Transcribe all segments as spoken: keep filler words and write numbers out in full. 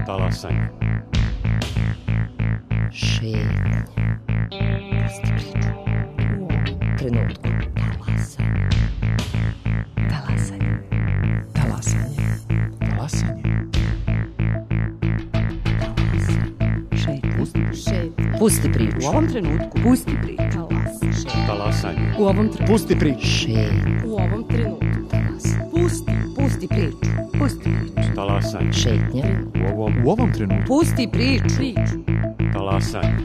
Talasanje. Šetnja. Pusti priču. U ovom trenutku. Talasanje. Talasanje. Talasanje. Talasanje. Šetnja. Pusti priču. U ovom trenutku. Pusti priču. Talasanje. U ovom trenutku. Pusti priču. Šetnja. U ovom trenutku. Pusti. Pusti priču. Pusti priču. Talasanje. Šetnja. U ovom, u ovom trenutku. Pusti priču. Priču. Talasanje.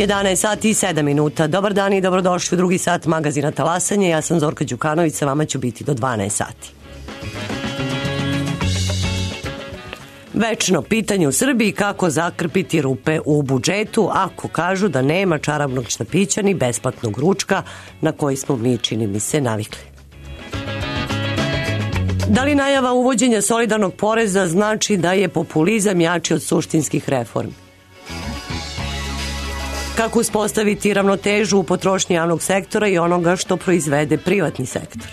jedanaest sati i sedam minuta. Dobar dan i dobrodošli u drugi sat magazina Talasanje. Ja sam Zorka Đukanović, sa vama ću biti do dvanaest sati. Večno pitanje u Srbiji kako zakrpiti rupe u budžetu ako kažu da nema čarobnog štapića ni besplatnog ručka na koji smo mi, čini mi se, navikli. Da li najava uvođenja solidarnog poreza znači da je populizam jači od suštinskih reformi? Kako uspostaviti ravnotežu u potrošnji javnog sektora i onoga što proizvede privatni sektor?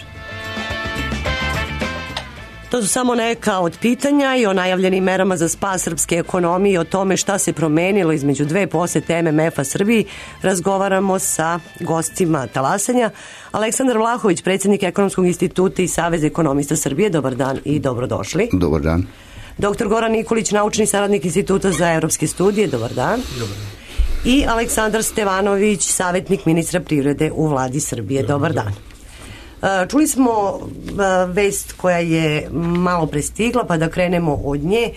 To su samo neka od pitanja i o najavljenim merama za spas srpske ekonomije i o tome šta se promenilo između dve posete M M F-a Srbiji razgovaramo sa gostima Talasanja. Aleksandar Vlahović, predsjednik Ekonomskog instituta i Saveza ekonomista Srbije. Dobar dan i dobrodošli. Dobar dan. Doktor Goran Nikolić, naučni saradnik Instituta za evropske studije. Dobar dan. Dobar dan. I Aleksandar Stevanović, savjetnik ministra privrede u vladi Srbije. Dobar dan. Čuli smo vest koja je malo prestigla, pa da krenemo od nje.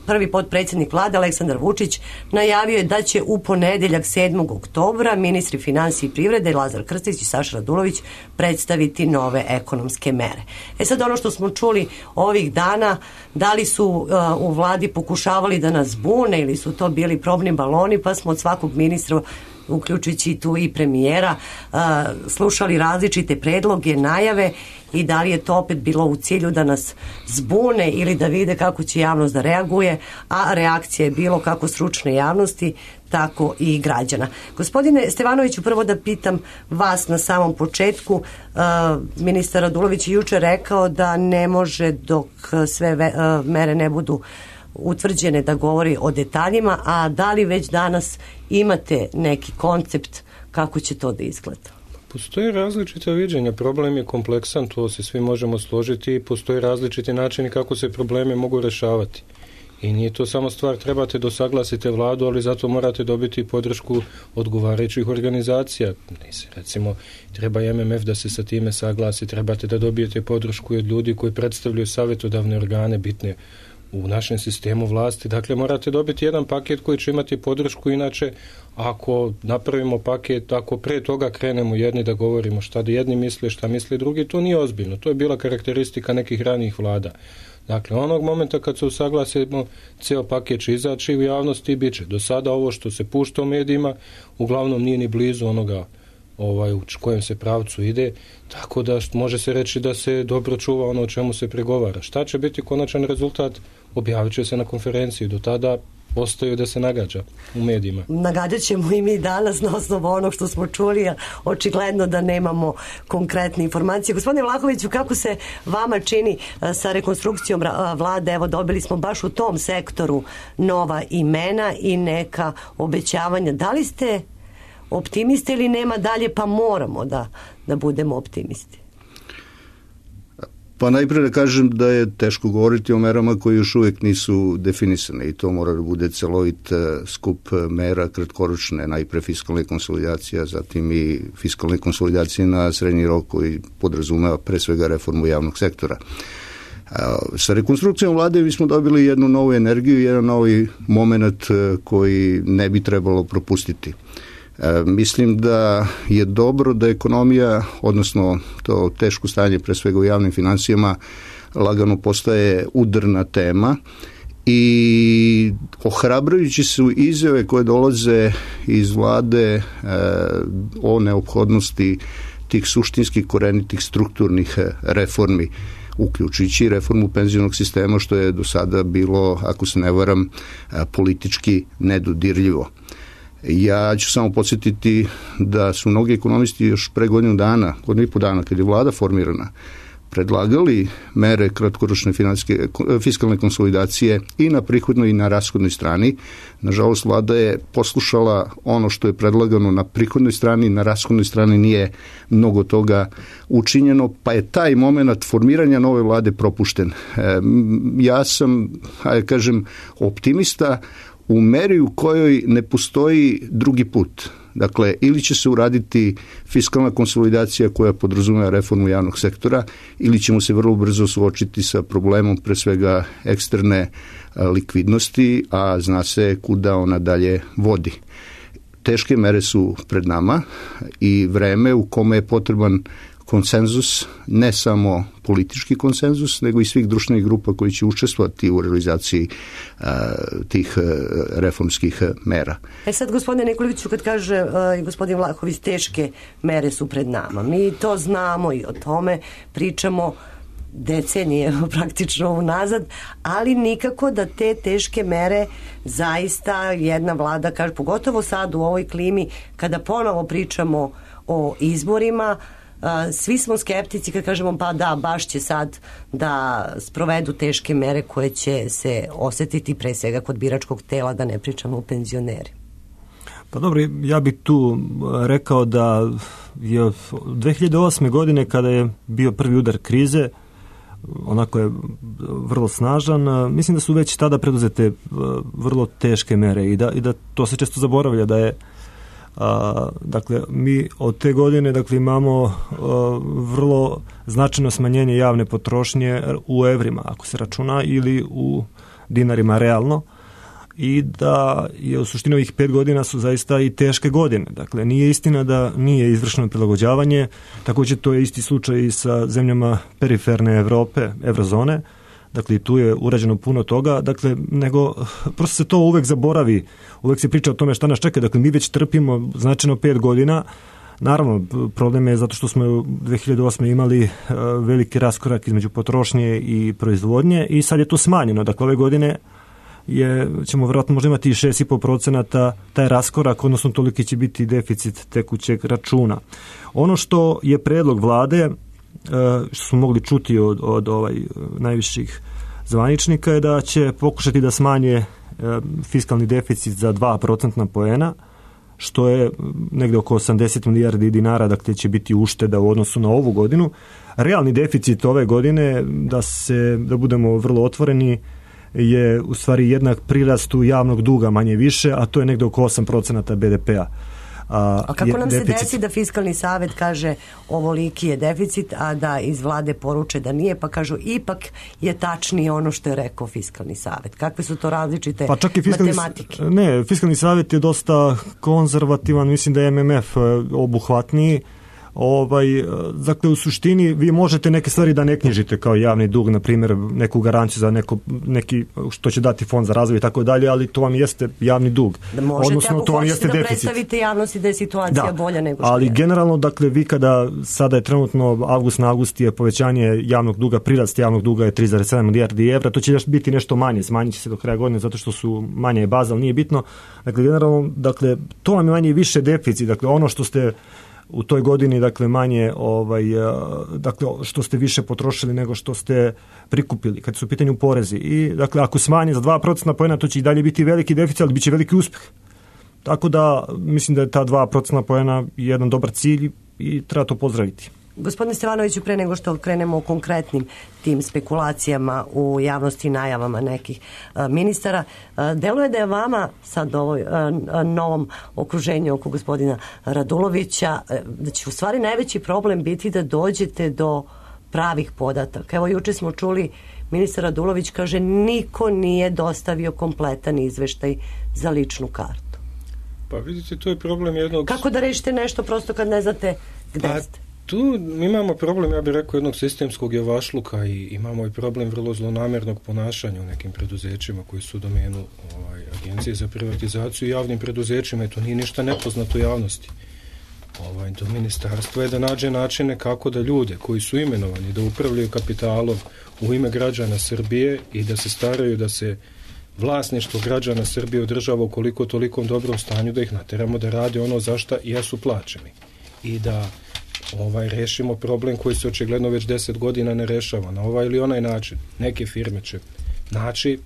Prvi potpredsjednik vlade Aleksandar Vučić najavio je da će u ponedeljak sedmog oktobra ministri finansije i privrede Lazar Krstić i Saša Radulović predstaviti nove ekonomske mere. E sad, ono što smo čuli ovih dana, da li su u vladi pokušavali da nas bune ili su to bili probni baloni, pa smo od svakog ministra, uključujući tu i premijera, slušali različite predloge, najave i da li je to opet bilo u cilju da nas zbune ili da vide kako će javnost da reaguje, a reakcija je bilo kako stručne javnosti, tako i građana. Gospodine Stevanoviću, prvo da pitam vas na samom početku. Ministar Radulović je juče rekao da ne može dok sve mere ne budu utvrđene da govori o detaljima, a da li već danas imate neki koncept kako će to da izgleda? Postoje različita viđenja, problem je kompleksan, to se svi možemo složiti i postoje različiti načini kako se probleme mogu rešavati. I nije to samo stvar, trebate da usaglasite vladu, ali zato morate dobiti podršku odgovarajućih organizacija. Recimo, treba i M M F da se sa time saglasi, trebate da dobijete podršku od ljudi koji predstavljaju savjetodavne organe bitne u našem sistemu vlasti. Dakle, morate dobiti jedan paket koji će imati podršku, inače ako napravimo paket, ako pre toga krenemo jedni da govorimo šta da jedni misle, šta misle drugi, to nije ozbiljno. To je bila karakteristika nekih ranijih vlada. Dakle, onog momenta kad se usaglasimo, ceo paket će izaći u javnosti i bit će. Do sada ovo što se pušta u medijima uglavnom nije ni blizu onoga ovaj, u kojem se pravcu ide, tako da može se reći da se dobro čuva ono o čemu se pregovara. Šta će biti konačan rezultat, objavit će se na konferenciji. Do tada ostaju da se nagađa u medijima. Nagađat ćemo i mi danas na osnovu onog što smo čuli, a očigledno da nemamo konkretne informacije. Gospodine Vlahoviću, kako se vama čini sa rekonstrukcijom vlade? Evo, dobili smo baš u tom sektoru nova imena i neka obećavanja. Da li ste optimiste ili nema dalje, pa moramo da, da budemo optimisti? Pa najprije da kažem da je teško govoriti o merama koje još uvijek nisu definisane i to mora da bude celovit skup mera kratkoročne, najpre fiskalne konsolidacija, zatim i fiskalne konsolidacije na srednji rok koji podrazumeva pre svega reformu javnog sektora. Sa rekonstrukcijom vlade mi smo dobili jednu novu energiju, jedan novi moment koji ne bi trebalo propustiti. E, mislim da je dobro da ekonomija, odnosno to teško stanje pre svega u javnim financijama, lagano postaje udarna tema i ohrabrujući su izjave koje dolaze iz vlade e, o neophodnosti tih suštinskih korenitih strukturnih reformi, uključujući reformu penzionog sistema, što je do sada bilo, ako se ne varam, politički nedodirljivo. Ja ću samo podsjetiti da su mnogi ekonomisti još pre godinu dana, godinu i po dana, kad je vlada formirana, predlagali mere kratkoročne fiskalne konsolidacije i na prihodnoj i na rashodnoj strani. Nažalost, vlada je poslušala ono što je predlagano na prihodnoj strani, na rashodnoj strani nije mnogo toga učinjeno, pa je taj moment formiranja nove vlade propušten. Ja sam, hajde kažem, optimista u meri u kojoj ne postoji drugi put. Dakle, ili će se uraditi fiskalna konsolidacija koja podrazumeva reformu javnog sektora, ili ćemo se vrlo brzo suočiti sa problemom pre svega eksterne likvidnosti, a zna se kuda ona dalje vodi. Teške mere su pred nama i vreme u kome je potreban konsenzus, ne samo politički konsenzus, nego i svih društvenih grupa koji će učestvovati u realizaciji uh, tih uh, reformskih mera. E sad, gospodine Nikoliću, kad kaže uh, gospodin Vlahović, teške mere su pred nama. Mi to znamo i o tome pričamo decenije praktično unazad, ali nikako da te teške mere zaista jedna vlada kaže, pogotovo sad u ovoj klimi, kada ponovo pričamo o izborima, Uh, svi smo skeptici kad kažemo pa da, baš će sad da sprovedu teške mere koje će se osetiti pre svega kod biračkog tela, da ne pričamo o penzioneri. Pa dobro, ja bih tu rekao da je dve hiljade osme godine kada je bio prvi udar krize, onako je vrlo snažan, mislim da su već tada preduzete vrlo teške mere i da, i da to se često zaboravlja da je A, dakle, mi od te godine dakle, imamo a, vrlo značajno smanjenje javne potrošnje u evrima, ako se računa, ili u dinarima realno, i da je u suštini ovih pet godina su zaista i teške godine. Dakle, nije istina da nije izvršeno prilagođavanje, također to je isti slučaj i sa zemljama periferne Evrope, evrozone. Dakle, tu je urađeno puno toga, dakle, nego prosto se to uvek zaboravi, uvek se priča o tome šta nas čeka, dakle, mi već trpimo značajno pet godina, naravno, problem je zato što smo u dve hiljade osme imali uh, veliki raskorak između potrošnje i proizvodnje i sad je to smanjeno, dakle, ove godine je, ćemo vjerojatno možda imati i šest i po procenata taj raskorak, odnosno toliki će biti deficit tekućeg računa. Ono što je predlog vlade, što smo mogli čuti od, od ovaj, najviših zvaničnika, je da će pokušati da smanje fiskalni deficit za dva procentna poena, što je negde oko osamdeset milijardi dinara, dakle će biti ušteda u odnosu na ovu godinu. Realni deficit ove godine, da se da budemo vrlo otvoreni, je u stvari jednak prirastu javnog duga manje više, a to je negde oko osam procenata be de pea. A, a kako nam deficit. se desi da fiskalni savet kaže ovoliki je deficit, a da iz vlade poruče da nije, pa kažu ipak je tačnije ono što je rekao fiskalni savet? Kakve su to različite pa čak i fiskalni, matematike? Ne, fiskalni savet je dosta konzervativan, mislim da je em em ef obuhvatniji. Ovaj, dakle, u suštini vi možete neke stvari da ne knjižite kao javni dug, na primjer neku garanciju za neko, neki, što će dati fond za razvoj i tako dalje, ali to vam jeste javni dug. Da možete, odnosno, ako to vam hoćete jeste da deficit. predstavite javnosti da je situacija da, bolja nego što ali je. generalno, dakle, vi kada sada je trenutno avgust na avgust je povećanje javnog duga, prirast javnog duga je tri zarez sedam milijardi evra, to će još biti nešto manje, smanjit će se do kraja godine zato što su manje baza, ali nije bitno. Dakle, generalno, dakle, to vam je manje više deficit, dakle, ono što ste u toj godini, dakle, manje, ovaj, dakle, što ste više potrošili nego što ste prikupili, kad su u pitanju porezi. I, dakle, ako smanje za dva procentna poena, to će i dalje biti veliki deficit, ali bit će veliki uspjeh. Tako da, mislim da je ta dva procentna poena jedan dobar cilj i treba to pozdraviti. Gospodine Stevanoviću, pre nego što krenemo o konkretnim tim spekulacijama u javnosti i najavama nekih a, ministara, a, deluje da je vama sad u ovoj a, a, novom okruženju oko gospodina Radulovića, a, da će u stvari najveći problem biti da dođete do pravih podataka. Evo, juče smo čuli, ministar Radulović kaže niko nije dostavio kompletan izveštaj za ličnu kartu. Pa vidite, to je problem jednog... Kako da rešite nešto prosto kad ne znate gde pa, ste? Tu imamo problem, ja bih rekao, jednog sistemskog javašluka i imamo i problem vrlo zlonamjernog ponašanja u nekim preduzećima koji su u domenu ovaj, Agencije za privatizaciju i javnim preduzećima i to nije ništa nepoznato u javnosti. Ovaj, do ministarstva je da nađe načine kako da ljude koji su imenovani da upravljaju kapitalom u ime građana Srbije i da se staraju da se vlasništvo građana Srbije održava u koliko tolikom dobrom stanju, da ih nateramo da rade ono za šta jesu plaćeni i da ovaj rešimo problem koji se očigledno već deset godina ne rešava na ovaj ili onaj način. Neke firme će naći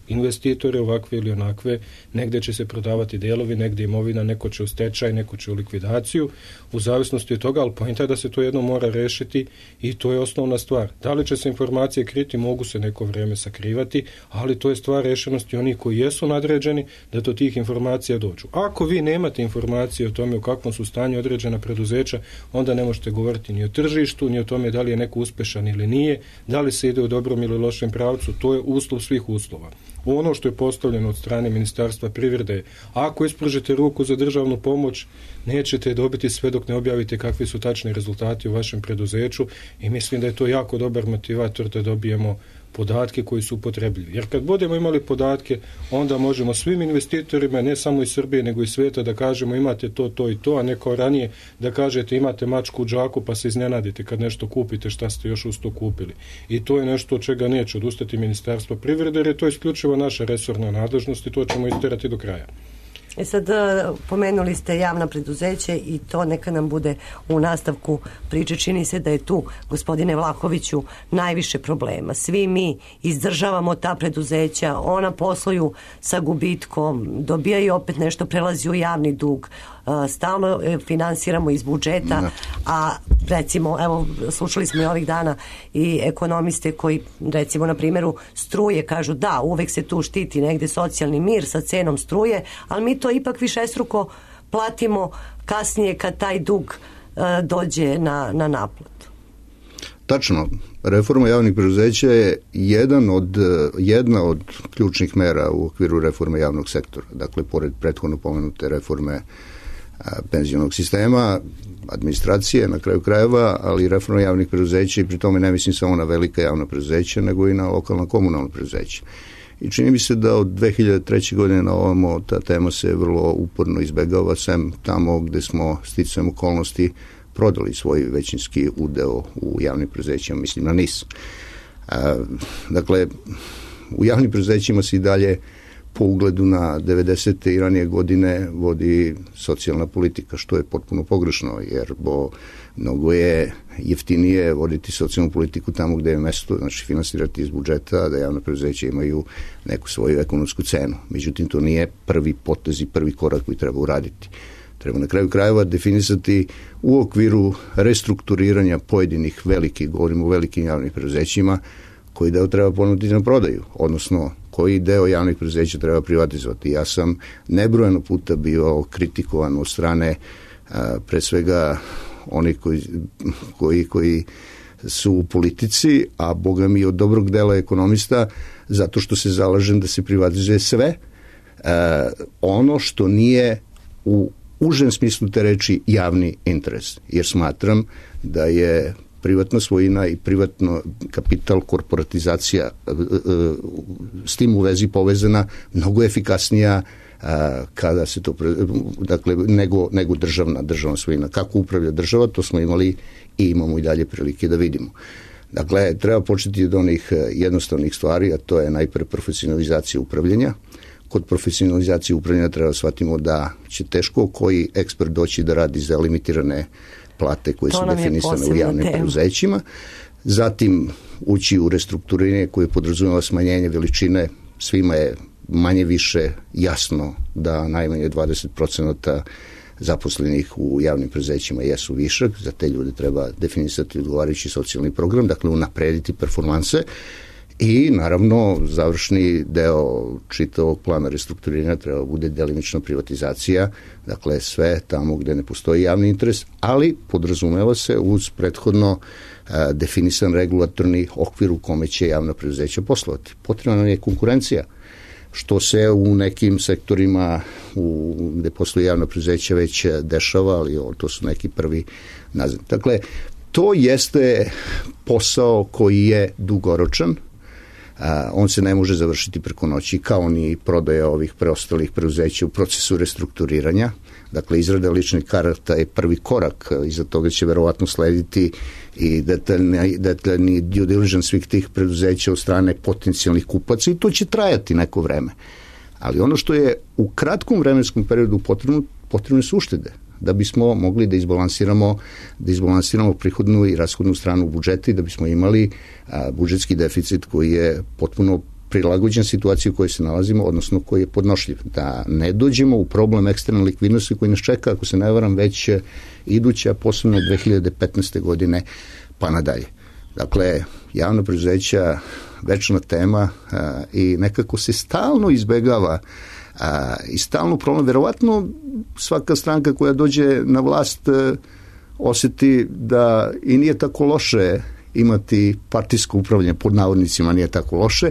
investitore ovakve ili onakve, negde će se prodavati delovi, negde imovina, neko će u stečaj, neko će u likvidaciju, u zavisnosti od toga, ali pojenta je da se to jedno mora rešiti i to je osnovna stvar. Da li će se informacije kriti, mogu se neko vreme sakrivati, ali to je stvar rešenosti onih koji jesu nadređeni da do tih informacija dođu. Ako vi nemate informacije o tome u kakvom su stanju određena preduzeća, onda ne možete govoriti ni o tržištu, ni o tome da li je neko uspešan ili nije, da li se ide u dobrom ili lošem pravcu, to je uslov svih uslova. Ono što je postavljeno od strane Ministarstva privrede, ako ispružite ruku za državnu pomoć, nećete dobiti sve dok ne objavite kakvi su tačni rezultati u vašem preduzeću i mislim da je to jako dobar motivator da dobijemo podatke koji su upotrebljivi. Jer kad budemo imali podatke, onda možemo svim investitorima, ne samo iz Srbije, nego i sveta, da kažemo imate to, to i to, a ne kao ranije da kažete imate mačku u džaku pa se iznenadite kad nešto kupite šta ste još uz to kupili. I to je nešto od čega neće odustati Ministarstvo privrede, jer je to isključivo naša resorna nadležnost i to ćemo isterati do kraja. E sad, pomenuli ste javna preduzeće i to neka nam bude u nastavku priče. Čini se da je tu, gospodine Vlahoviću, najviše problema. Svi mi izdržavamo ta preduzeća, ona posluju sa gubitkom, dobijaju opet nešto, prelazi u javni dug, stalno finansiramo iz budžeta, a recimo, evo, slušali smo i ovih dana i ekonomiste koji, recimo, na primjeru struje, kažu da, uvek se tu štiti negde socijalni mir sa cenom struje, ali mi to ipak višestruko platimo kasnije kad taj dug uh, dođe na, na naplatu. Tačno, reforma javnih preduzeća je jedan od, jedna od ključnih mera u okviru reforme javnog sektora. Dakle, pored prethodno pomenute reforme penzionog sistema, administracije na kraju krajeva, ali reforma javnih preduzeća i pri tome ne mislim samo na velika javna preduzeća, nego i na lokalna komunalna preduzeća. I čini mi se da od dve hiljade treće. godine na ovamo ta tema se vrlo uporno izbegava, sem tamo gde smo sticajem okolnosti prodali svoj većinski udeo u javnim preduzećima, mislim na N I S. A, dakle, u javnim preduzećima se i dalje po ugledu na devedesete i ranije godine vodi socijalna politika, što je potpuno pogrešno, jer bo mnogo je jeftinije voditi socijalnu politiku tamo gde je mesto, znači finansirati iz budžeta, da javna preduzeća imaju neku svoju ekonomsku cenu. Međutim, to nije prvi potez i prvi korak koji treba uraditi. Treba na kraju krajeva definisati u okviru restrukturiranja pojedinih velikih, govorimo o velikim javnim preduzećima, koji deo treba ponuditi na prodaju, odnosno koji deo javnih preduzeća treba privatizovati. Ja sam nebrojeno puta bio kritikovan od strane a, pre svega onih koji, koji, koji su u politici, a boga mi od dobrog dela ekonomista, zato što se zalažem da se privatizuje sve a, ono što nije u užem smislu te reči javni interes, jer smatram da je privatna svojina i privatno kapital, korporatizacija s tim u vezi povezana mnogo efikasnija kada se to, dakle, nego, nego državna, državna svojina. Kako upravlja država, to smo imali i imamo i dalje prilike da vidimo. Dakle, treba početi od onih jednostavnih stvari, a to je najpre profesionalizacija upravljanja. Kod profesionalizacije upravljanja treba shvatimo da će teško koji ekspert doći da radi za limitirane plate koje to su definisane u javnim tema. preduzećima. Zatim ući u restrukturiranje koje podrazumeva smanjenje veličine. Svima je manje više jasno da najmanje dvadeset procenata zaposlenih u javnim preduzećima jesu višak. Za te ljude treba definisati odgovarajući socijalni program, dakle unaprediti performanse. I naravno završni deo čitavog plana restrukturiranja treba bude delimična privatizacija, dakle sve tamo gde ne postoji javni interes, ali podrazumeva se uz prethodno a, definisan regulatorni okvir u kome će javna preduzeća poslovati. Potrebna nam je konkurencija, što se u nekim sektorima u, gde postoji javna preduzeća već dešava, ali o, to su neki prvi nazad. Dakle, to jeste posao koji je dugoročan. A, on se ne može završiti preko noći, kao ni prodaja ovih preostalih preduzeća u procesu restrukturiranja. Dakle, izrada ličnih karata je prvi korak, iza toga će verovatno slediti i detaljni, detaljni due diligence svih tih preduzeća od strane potencijalnih kupaca i to će trajati neko vreme. Ali ono što je u kratkom vremenskom periodu potrebno, potrebne su uštede, da bismo mogli da izbalansiramo, da izbalansiramo prihodnu i rashodnu stranu budžeta i da bismo imali a, budžetski deficit koji je potpuno prilagođen situaciji u kojoj se nalazimo, odnosno koji je podnošljiv. Da ne dođemo u problem eksterne likvidnosti koji nas čeka, ako se ne varam, već iduća, posebno dve hiljade petnaeste. godine pa nadalje. Dakle, javna preduzeća, večna tema a, i nekako se stalno izbegava a, i stalno problem. Verovatno svaka stranka koja dođe na vlast a, osjeti da i nije tako loše imati partijsko upravljanje, pod navodnicima nije tako loše,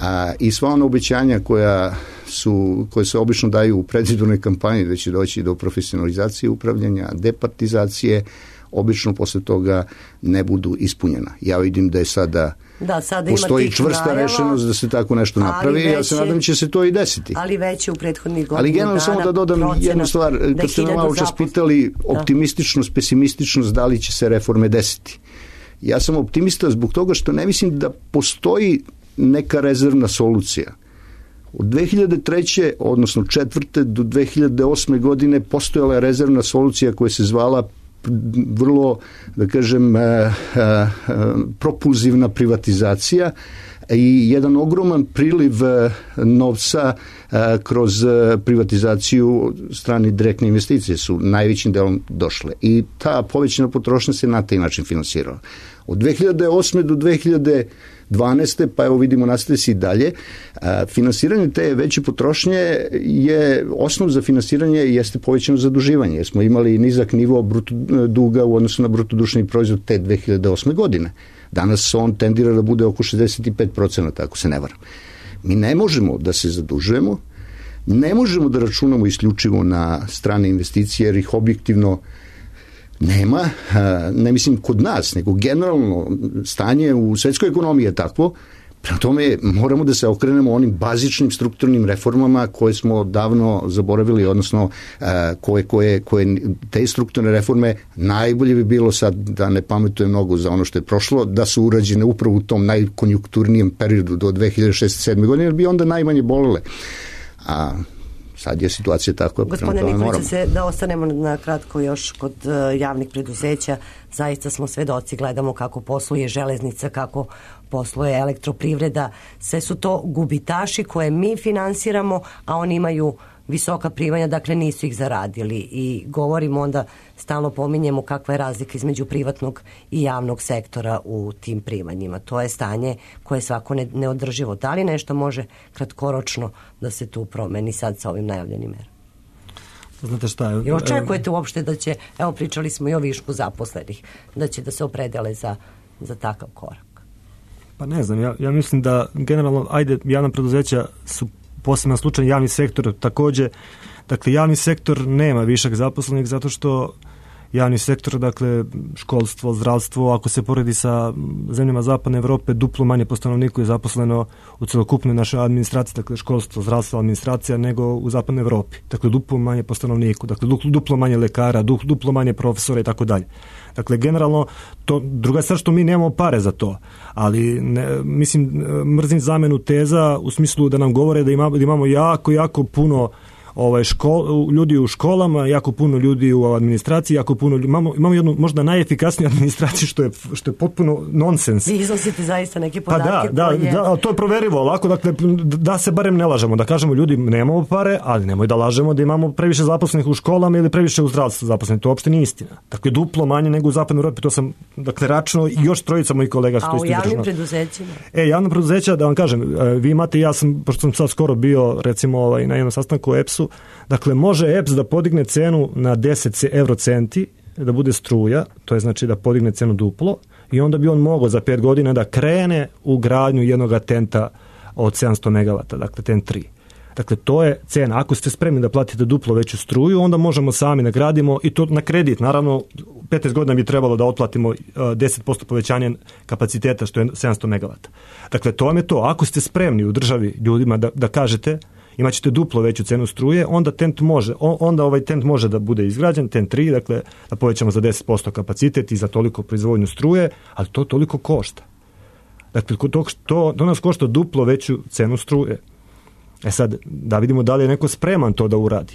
a, i sva ona obećanja koja su, koje se obično daju u predizbornoj kampanji da će doći do profesionalizacije upravljanja, departizacije, obično posle toga ne budu ispunjena. Ja vidim da je sada, da, sada postoji čvrsta najava, rešenost da se tako nešto napravi, ja se nadam će se to i desiti. Ali već je u prethodnih godinu Ali generalno samo da dodam jednu stvar, kad ste me malo čas pitali optimističnost, pesimističnost, da li će se reforme desiti. Ja sam optimista zbog toga što ne mislim da postoji neka rezervna solucija. Od dve hiljade treće. odnosno četvrte do dve hiljade osme. godine postojala je rezervna solucija koja se zvala vrlo, da kažem, propulzivna privatizacija i jedan ogroman priliv novca kroz privatizaciju strane direktne investicije su najvećim delom došle i ta povećana potrošnja se na taj način finansirala. Od dve hiljade osme. do dve hiljade dvanaeste. pa evo vidimo nastaje se i dalje, finansiranje te veće potrošnje je osnov za finansiranje jeste povećano zaduživanje, jer smo imali nizak nivo bruto duga u odnosu na bruto društveni proizvod te dve hiljade osme. godine. Danas on tendira da bude oko šezdeset pet procenata, ako se ne varam. Mi ne možemo da se zadužujemo, ne možemo da računamo isključivo na strane investicije, jer ih objektivno nema, ne mislim kod nas, nego generalno stanje u svetskoj ekonomiji je takvo. Prema tome moramo da se okrenemo onim bazičnim strukturnim reformama koje smo davno zaboravili, odnosno koje, koje, koje te strukturne reforme najbolje bi bilo sad da ne pametujem mnogo za ono što je prošlo, da su urađene upravo u tom najkonjunkturnijem periodu do dve hiljade šeste. sedme. godine, jer bi onda najmanje bolele. A sad je situacija tako. Gospodine Nikolić, se da ostanemo na kratko još kod uh, javnih preduzeća. Zaista smo svedoci, gledamo kako posluje železnica, kako posluje elektroprivreda. Sve su to gubitaši koje mi finansiramo, a oni imaju visoka primanja, dakle nisu ih zaradili. I govorimo onda, stalno pominjemo kakva je razlika između privatnog i javnog sektora u tim primanjima. To je stanje koje je svako ne, neodrživo. Da li nešto može kratkoročno da se tu promeni sad sa ovim najavljenim merama? Znate šta je? I očekujete uopšte da će, evo pričali smo i o višku zaposlenih, da će da se opredele za, za takav korak? Pa ne znam, ja, ja mislim da generalno, ajde, javna preduzeća su poseban slučaj, javni sektor takođe, Dakle, javni sektor nema višak zaposlenih zato što javni sektor, dakle, školstvo, zdravstvo, ako se poredi sa zemljama Zapadne Evrope, duplo manje po stanovniku je zaposleno u celokupnoj našoj administraciji, dakle, školstvo, zdravstvo, administracija, nego u Zapadnoj Evropi. Dakle, duplo manje po stanovniku, dakle, duplo manje lekara, duplo manje profesora i tako dalje. Dakle, generalno, to, druga stvar što mi nemamo pare za to, ali ne, mislim, mrzim zamenu teza u smislu da nam govore da, ima, da imamo jako, jako puno ovaj škol, ljudi u školama, jako puno ljudi u administraciji, jako puno ljudi, imamo, imamo jednu možda najefikasniju administraciju što je, što je potpuno nonsens. Vi iznosite zaista neke podatke. Pa da, da, koje... da, to je proverivo lako, dakle, da se barem ne lažemo, da kažemo ljudi nemamo pare, ali nemoj da lažemo da imamo previše zaposlenih u školama ili previše u zdravstvu zaposlenih, to uopšte nije istina. Dakle, duplo manje nego u Zapadnoj Evropi, to sam, dakle, račno i još trojica mojih kolega što isto izdržano. A u javnim preduzećima? E, javna preduzeća, da vam kažem, vi imate, ja sam, pošto sam sad skoro bio, recimo, ovaj, na jednom sastanku u E P S-u, dakle, može E P S da podigne cenu na deset eurocenti, da bude struja, to je znači da podigne cenu duplo, i onda bi on mogao za pet godina da krene u gradnju jednog tenta od sedamsto megavata, dakle tent tri. Dakle, to je cena. Ako ste spremni da platite duplo veću struju, onda možemo sami da gradimo i to na kredit. Naravno, petnaest godina bi trebalo da otplatimo deset posto povećanje kapaciteta, što je sedamsto megavata. Dakle, to vam je to. Ako ste spremni u državi ljudima da, da kažete imat ćete duplo veću cenu struje, onda tent može, onda ovaj tent može da bude izgrađen, tent tri, dakle, da povećamo za deset posto kapacitet i za toliko proizvodnju struje, ali to toliko košta. Dakle, to, to, to nas košta duplo veću cenu struje. E sad, da vidimo da li je neko spreman to da uradi.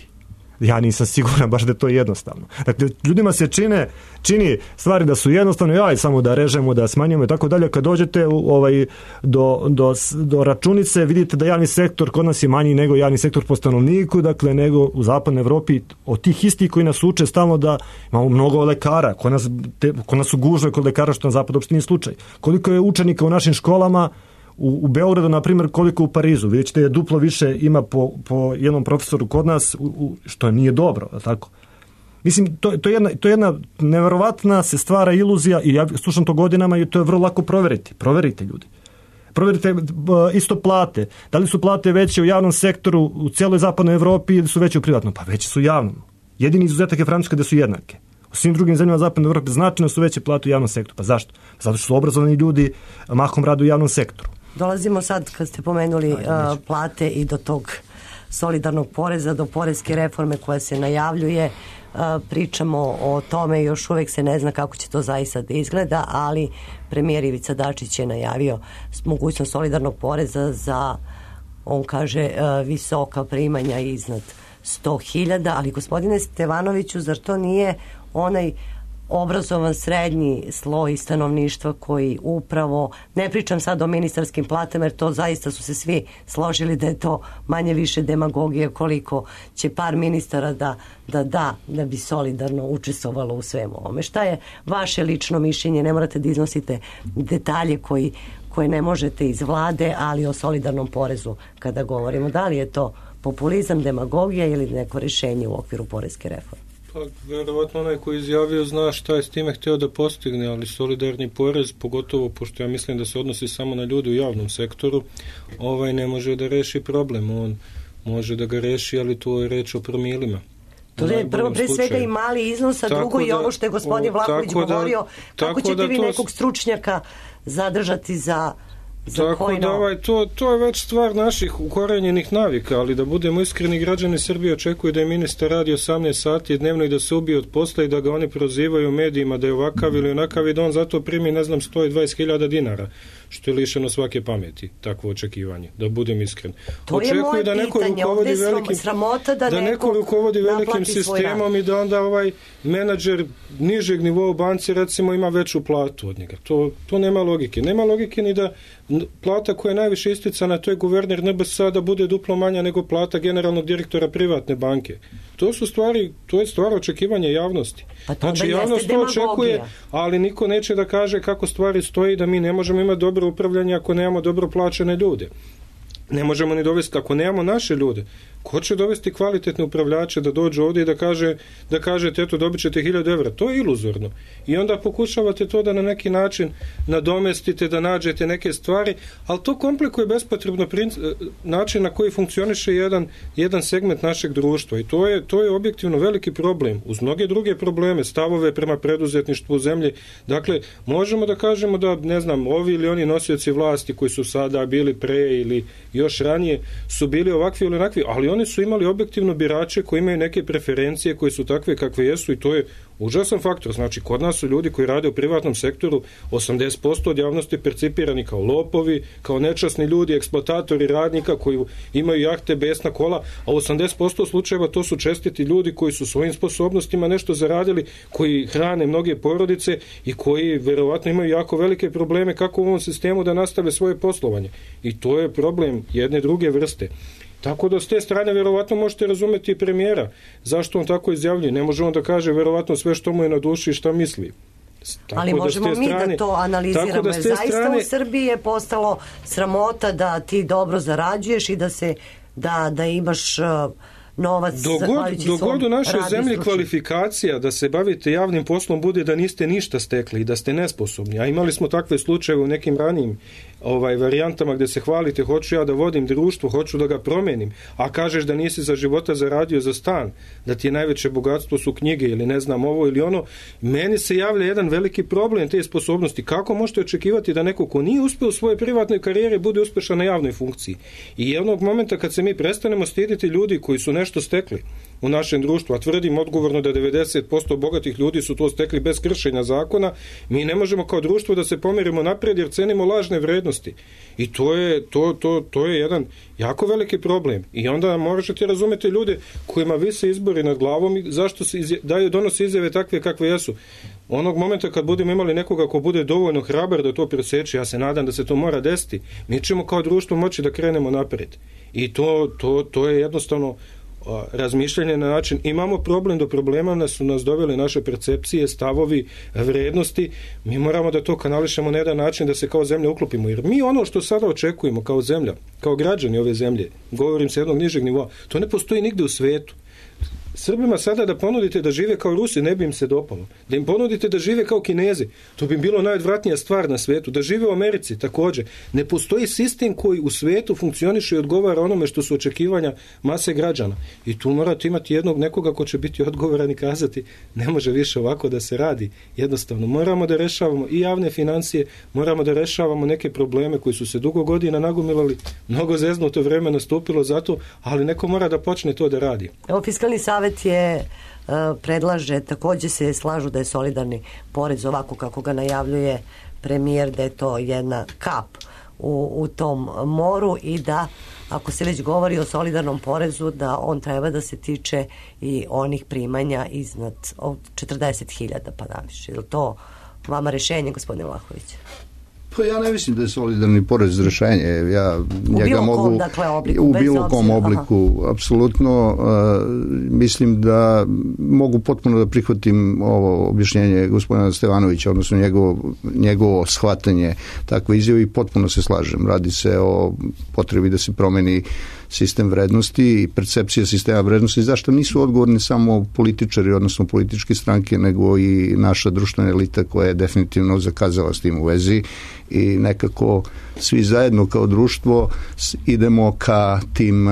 Ja nisam siguran baš da je to jednostavno. Dakle, ljudima se čine, čini stvari da su jednostavno, jaj, samo da režemo, da smanjimo i tako dalje. Kad dođete u, ovaj, do, do, do računice, vidite da javni sektor kod nas je manji nego javni sektor po stanovniku, dakle, nego u Zapadnoj Evropi. Od tih istih koji nas uče stalno da imamo mnogo lekara, kod nas, te, kod nas su gužve kod lekara, što na Zapadu uopšte nije slučaj. Koliko je učenika u našim školama, U, u Beogradu, na primjer, koliko u Parizu. Vidjet ćete da duplo više ima po, po jednom profesoru kod nas, u, u, što nije dobro, tako? Mislim, to, to, je jedna, to je jedna neverovatna se stvara iluzija i ja slušam to godinama i to je vrlo lako proveriti. Proverite, ljudi. Proverite isto plate. Da li su plate veće u javnom sektoru u cijeloj Zapadnoj Evropi ili su veće u privatnom? Pa veće su u javnom. Jedini izuzetak je Francuska da su jednake. U svim drugim zemljama Zapadne Evrope značajno su veće plate u javnom sektoru. Pa zašto? Zato što su obrazovani ljudi mahom rade u javnom sektoru. Dolazimo sad, kad ste pomenuli uh, plate i do tog solidarnog poreza, do poreske reforme koja se najavljuje. Uh, pričamo o tome, još uvek se ne zna kako će to zaista da izgleda, ali premijer Ivica Dačić je najavio mogućnost solidarnog poreza za, on kaže, uh, visoka primanja iznad sto hiljada, ali gospodine Stevanoviću, zar to nije onaj obrazovan srednji sloj stanovništva koji upravo, ne pričam sad o ministarskim platama jer to zaista su se svi složili da je to manje više demagogije koliko će par ministara da da, da, da bi solidarno učestvovalo u svemu ovome. Šta je vaše lično mišljenje? Ne morate da iznosite detalje koji, koje ne možete iz vlade, ali o solidarnom porezu kada govorimo. Da li je to populizam, demagogija ili neko rješenje u okviru poreske reforme? Pa, vjerovatno onaj koji izjavio zna šta je s time htio da postigne, ali solidarni porez, pogotovo pošto ja mislim da se odnosi samo na ljude u javnom sektoru, ovaj ne može da reši problem. On može da ga reši, ali tu je reč o promilima. To je prvo pre svega i mali iznos, a drugo i ovo što je gospodin Vlahović govorio, kako ćete vi nekog stručnjaka zadržati za Tako da ovaj, to, to je već stvar naših ukorenjenih navika, ali da budemo iskreni, građani Srbije očekuju da je ministar radi osamnaest sati dnevno i da se ubije od posla i da ga oni prozivaju u medijima da je ovakav ili onakav i da on zato primi, ne znam, sto dvadeset hiljada dinara, što je lišeno svake pameti, takvo očekivanje, da budem iskren. To je moje da neko pitanje, ovdje je velikim, sramota da, da neko rukovodi velikim sistemom i da onda ovaj menadžer nižeg nivoa u banci recimo ima veću platu od njega. To, to nema logike. Nema logike ni da plata koja je najviše isticana, to je guverner N B S da bude duplo manja nego plata generalnog direktora privatne banke. To su stvari, to je stvar očekivanja javnosti. Pa znači javnost to očekuje, ali niko neće da kaže kako stvari stoji, da mi ne možemo imati dobro upravljanje ako nemamo dobro plaćene ljude. Ne možemo ni dovesti, ako nemamo naše ljude, Ko će dovesti kvalitetne upravljače da dođu ovdje i da kaže, da kažete eto dobit ćete hiljadu evra? To je iluzorno. I onda pokušavate to da na neki način nadomestite, da nađete neke stvari, ali to komplikuje bespotrebno način na koji funkcioniše jedan, jedan segment našeg društva i to je, to je objektivno veliki problem. Uz mnoge druge probleme, stavove prema preduzetništvu u zemlji. Dakle, možemo da kažemo da, ne znam, ovi ili oni nosioci vlasti koji su sada bili pre ili još ranije su bili ovakvi ili onakvi, ali oni su imali objektivno birače koji imaju neke preferencije koje su takve kakve jesu i to je užasan faktor. Znači, kod nas su ljudi koji rade u privatnom sektoru osamdeset posto od javnosti percipirani kao lopovi, kao nečasni ljudi, eksploatatori radnika koji imaju jahte, besna kola, a osamdeset posto slučajeva to su čestiti ljudi koji su svojim sposobnostima nešto zaradili, koji hrane mnoge porodice i koji verovatno imaju jako velike probleme kako u ovom sistemu da nastave svoje poslovanje. I to je problem jedne druge vrste. Tako da s te strane verovatno možete razumeti i premijera. Zašto on tako izjavljuje? Ne može on da kaže verovatno sve što mu je na duši i šta misli. Tako ali možemo da mi strane, da to analiziramo. Da zaista strane, u Srbiji je postalo sramota da ti dobro zarađuješ i da se da, da imaš uh, novac dogod u našoj zemlji stručni. Kvalifikacija da se bavite javnim poslom bude da niste ništa stekli i da ste nesposobni. A imali smo takve slučajeve u nekim ranijim ovaj, varijantama gde se hvalite, hoću ja da vodim društvo, hoću da ga promenim, a kažeš da nisi za života zaradio za stan, da ti je najveće bogatstvo su knjige ili ne znam ovo ili ono. Meni se javlja jedan veliki problem te sposobnosti. Kako možete očekivati da neko ko nije uspeo u svojoj privatnoj karijeri bude uspešan na javnoj funkciji? I jednog momenta kad se mi prestanemo stiditi ljudi koji su nešto stekli u našem društvu, a tvrdim odgovorno da devedeset posto bogatih ljudi su to stekli bez kršenja zakona, mi ne možemo kao društvo da se pomerimo napred jer cenimo lažne vrednosti. I to je, to, to, to je jedan jako veliki problem. I onda možete razumeti ljude kojima vise izbori nad glavom i zašto se izje, daju, donose izjave takve kakve jesu. Onog momenta kad budemo imali nekoga ko bude dovoljno hrabar da to preseče, ja se nadam da se to mora desiti, mi ćemo kao društvo moći da krenemo napred. I to, to, to je jednostavno razmišljanje na način, imamo problem, do problema nas su nas doveli naše percepcije, stavovi, vrednosti, mi moramo da to kanališemo na jedan način da se kao zemlja uklopimo, jer mi ono što sada očekujemo kao zemlja, kao građani ove zemlje, govorim sa jednog nižeg nivoa, to ne postoji nigde u svetu. Srbima sada da ponudite da žive kao Rusi ne bi im se dopalo. Da im ponudite da žive kao Kinezi, to bi bilo najodvratnija stvar na svetu. Da žive u Americi također. Ne postoji sistem koji u svetu funkcioniše i odgovara onome što su očekivanja mase građana. I tu morate imati jednog nekoga ko će biti odgovoran i kazati ne može više ovako da se radi. Jednostavno, moramo da rešavamo i javne financije, moramo da rešavamo neke probleme koji su se dugo godina nagomilali, mnogo zeznuto vreme nastupilo zato, ali neko mora da počne to da radi. Evo, Fiskalni savet je predlaže, također se slažu da je solidarni porez ovako kako ga najavljuje premijer, da je to jedna kap u, u tom moru i da ako se već govori o solidarnom porezu da on treba da se tiče i onih primanja iznad četrdeset hiljada pa naviše. Je li to vama rešenje, gospodine Vlahović? Pa ja ne mislim da je solidarni porez rešenje. Ja u njega bilo mogu, kom, dakle, obliku. U bilo kom obliku, aha. Apsolutno. Uh, mislim da mogu potpuno da prihvatim ovo objašnjenje gospodina Stevanovića, odnosno njegovo, njegovo shvatanje takve izjave i potpuno se slažem. Radi se o potrebi da se promeni sistem vrednosti i percepcija sistema vrednosti, zašto nisu odgovorni samo političari, odnosno političke stranke, nego i naša društvena elita koja je definitivno zakazala s tim u vezi i nekako svi zajedno kao društvo idemo ka tim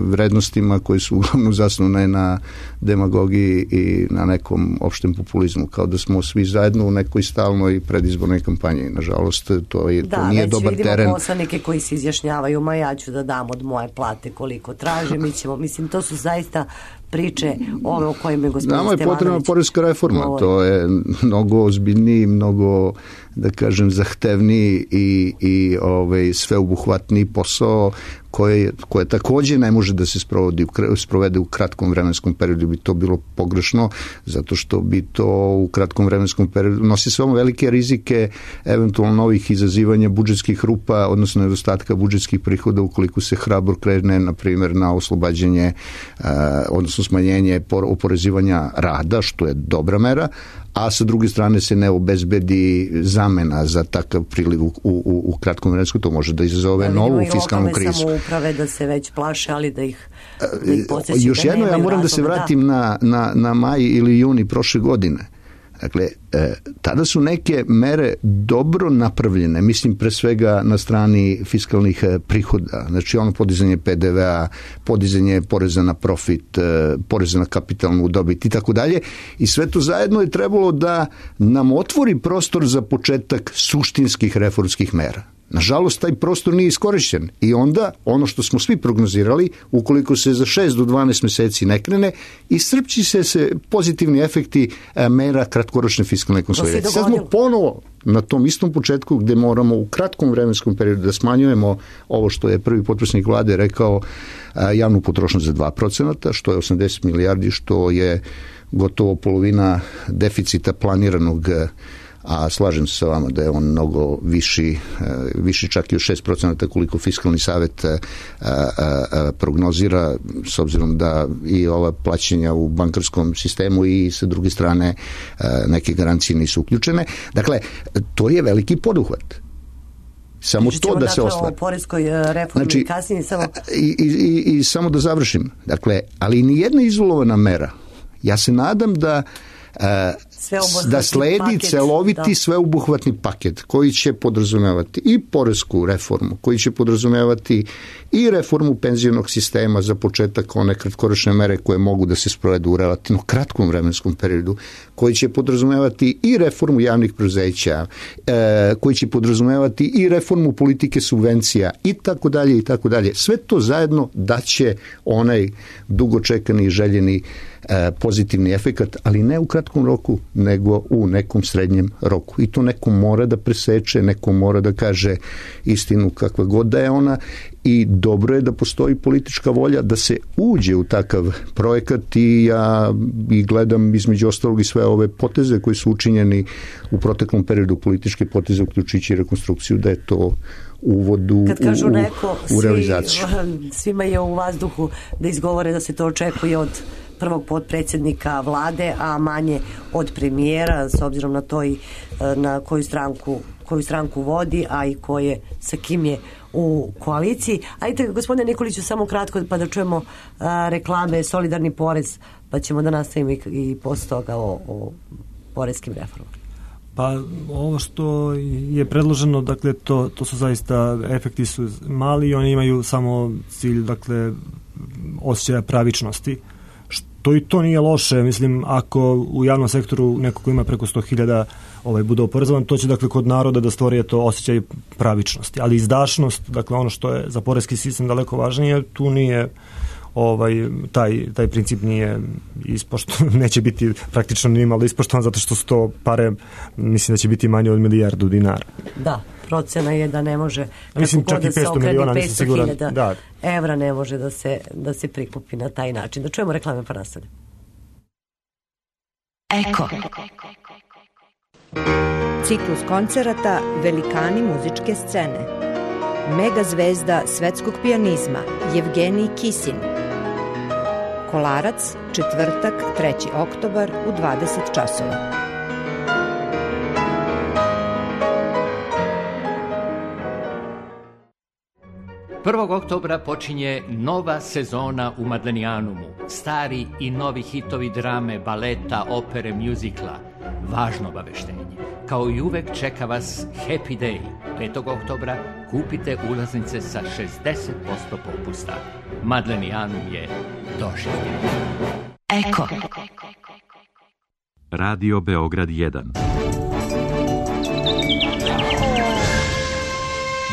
vrednostima koji su uglavnom zasnovane na demagogiji i na nekom opštem populizmu, kao da smo svi zajedno u nekoj stalnoj predizbornoj kampanji. Nažalost, to, je, da, to nije dobar teren. Da, već vidimo poslanike koji se izjašnjavaju, ma ja ću da dam od moje plate koliko traže, mi ćemo, mislim, to su zaista priče ove o kojima je gospodin Stevanović. Nama je potrebna poreska reforma, govori. To je mnogo ozbiljniji, mnogo, da kažem, zahtevniji i, i ovaj, sveobuhvatniji posao koje, koje također ne može da se sprovodi, sprovede u kratkom vremenskom periodu, bi to bilo pogrešno, zato što bi to u kratkom vremenskom periodu nosi samo velike rizike eventualno novih izazivanja budžetskih rupa, odnosno nedostatka budžetskih prihoda ukoliko se hrabro krene, na primjer, na oslobađanje, odnosno odnosno smanjenje oporezivanja rada, što je dobra mera, a sa druge strane se ne obezbedi zamena za takav priliv u, u, u kratkom vremensku, to može da izazove da, novu fiskalnu krizu. Vidimo i lokalne samouprave da se već plaše, ali da ih, da ih podsjeći da još jedno, ja moram razloga, da se vratim da. na, na, na maj ili juni prošle godine. Dakle, e, tada su neke mere dobro napravljene, mislim pre svega na strani fiskalnih e, prihoda, znači ono podizanje P D V-a, podizanje poreza na profit, e, poreza na kapitalnu dobit i tako dalje, i sve to zajedno je trebalo da nam otvori prostor za početak suštinskih reformskih mera. Nažalost, taj prostor nije iskorišćen i onda ono što smo svi prognozirali, ukoliko se za šest do dvanaest meseci ne krene, iscrpći se, se pozitivni efekti mera kratkoročne fiskalne konsolidacije. Sad smo ponovo na tom istom početku gde moramo u kratkom vremenskom periodu da smanjujemo ovo što je prvi potpredsjednik vlade rekao, javnu potrošnju za dva procenta, što je osamdeset milijardi, što je gotovo polovina deficita planiranog, a slažem se sa vama da je on mnogo viši, viši čak i od šest procenta koliko fiskalni savet prognozira, s obzirom da i ova plaćanja u bankarskom sistemu i sa druge strane neke garancije nisu uključene. Dakle, to je veliki poduhvat. Samo Pričamo to da dakle se ostvari. O poreskoj reformi znači, kasnije samo... I, i, i, I samo da završim. Dakle, ali ni jedna izolovana mera. Ja se nadam da da sledi paket, celoviti da. sveobuhvatni paket koji će podrazumevati i poresku reformu, koji će podrazumevati i reformu penzionog sistema, za početak one kratkoročne mere koje mogu da se sprovedu u relativno kratkom vremenskom periodu, koji će podrazumevati i reformu javnih preduzeća, e, koji će podrazumevati i reformu politike subvencija i tako dalje i tako dalje. Sve to zajedno daće onaj dugočekani i željeni pozitivni efekat, ali ne u kratkom roku, nego u nekom srednjem roku. I to neko mora da preseče, neko mora da kaže istinu kakva god da je ona, i dobro je da postoji politička volja da se uđe u takav projekat, i ja i gledam između ostalog i sve ove poteze koji su učinjeni u proteklom periodu, političke poteze uključujući rekonstrukciju, da je to uvodu Kad kažu u, neko, u realizaciju. Svi, svima je u vazduhu da izgovore da se to očekuje od prvog potpredsjednika vlade, a manje od premijera, s obzirom na to i na koju stranku, koju stranku vodi, a i koje, sa kim je u koaliciji. Ajde, gospodine Nikoliću, samo kratko pa da čujemo a, reklame, solidarni porez, pa ćemo da nastavimo i, i posle toga o, o poreskim reformama. Pa ovo što je predloženo, dakle, to, to su zaista, efekti su mali i oni imaju samo cilj, dakle, osjećaja pravičnosti. To i to nije loše, mislim, ako u javnom sektoru neko ko ima preko sto hiljada ovaj, bude oporezovan, to će, dakle, kod naroda da stvori to osjećaj pravičnosti. Ali izdašnost, dakle, ono što je za poreski sistem daleko važnije, tu nije ovaj, taj, taj princip nije ispoštovan, neće biti praktično ni malo ispoštovan, zato što su to pare, mislim da će biti manje od milijardu dinara. Da, procena je da ne može, mislim, čak i petsto miliona, nisam siguran, da. evra ne može da se, da se prikupi na taj način. Da čujemo reklame pa nastavljamo. Eko. Ciklus koncerata Velikani muzičke scene. Mega zvezda svetskog pijanizma Jevgenij Kisin. Kolarac, četvrtak, treći oktobar u dvadeset časova. prvog oktobra počinje nova sezona u Madlenijanumu. Stari i novi hitovi drame, baleta, opere, mjuzikla. Važno obaveštenje. Kao i uvek čeka vas Happy Day. petog oktobra kupite ulaznice sa šezdeset posto popusta. Madlenijanum je doživljen. Eko. Radio Beograd jedan.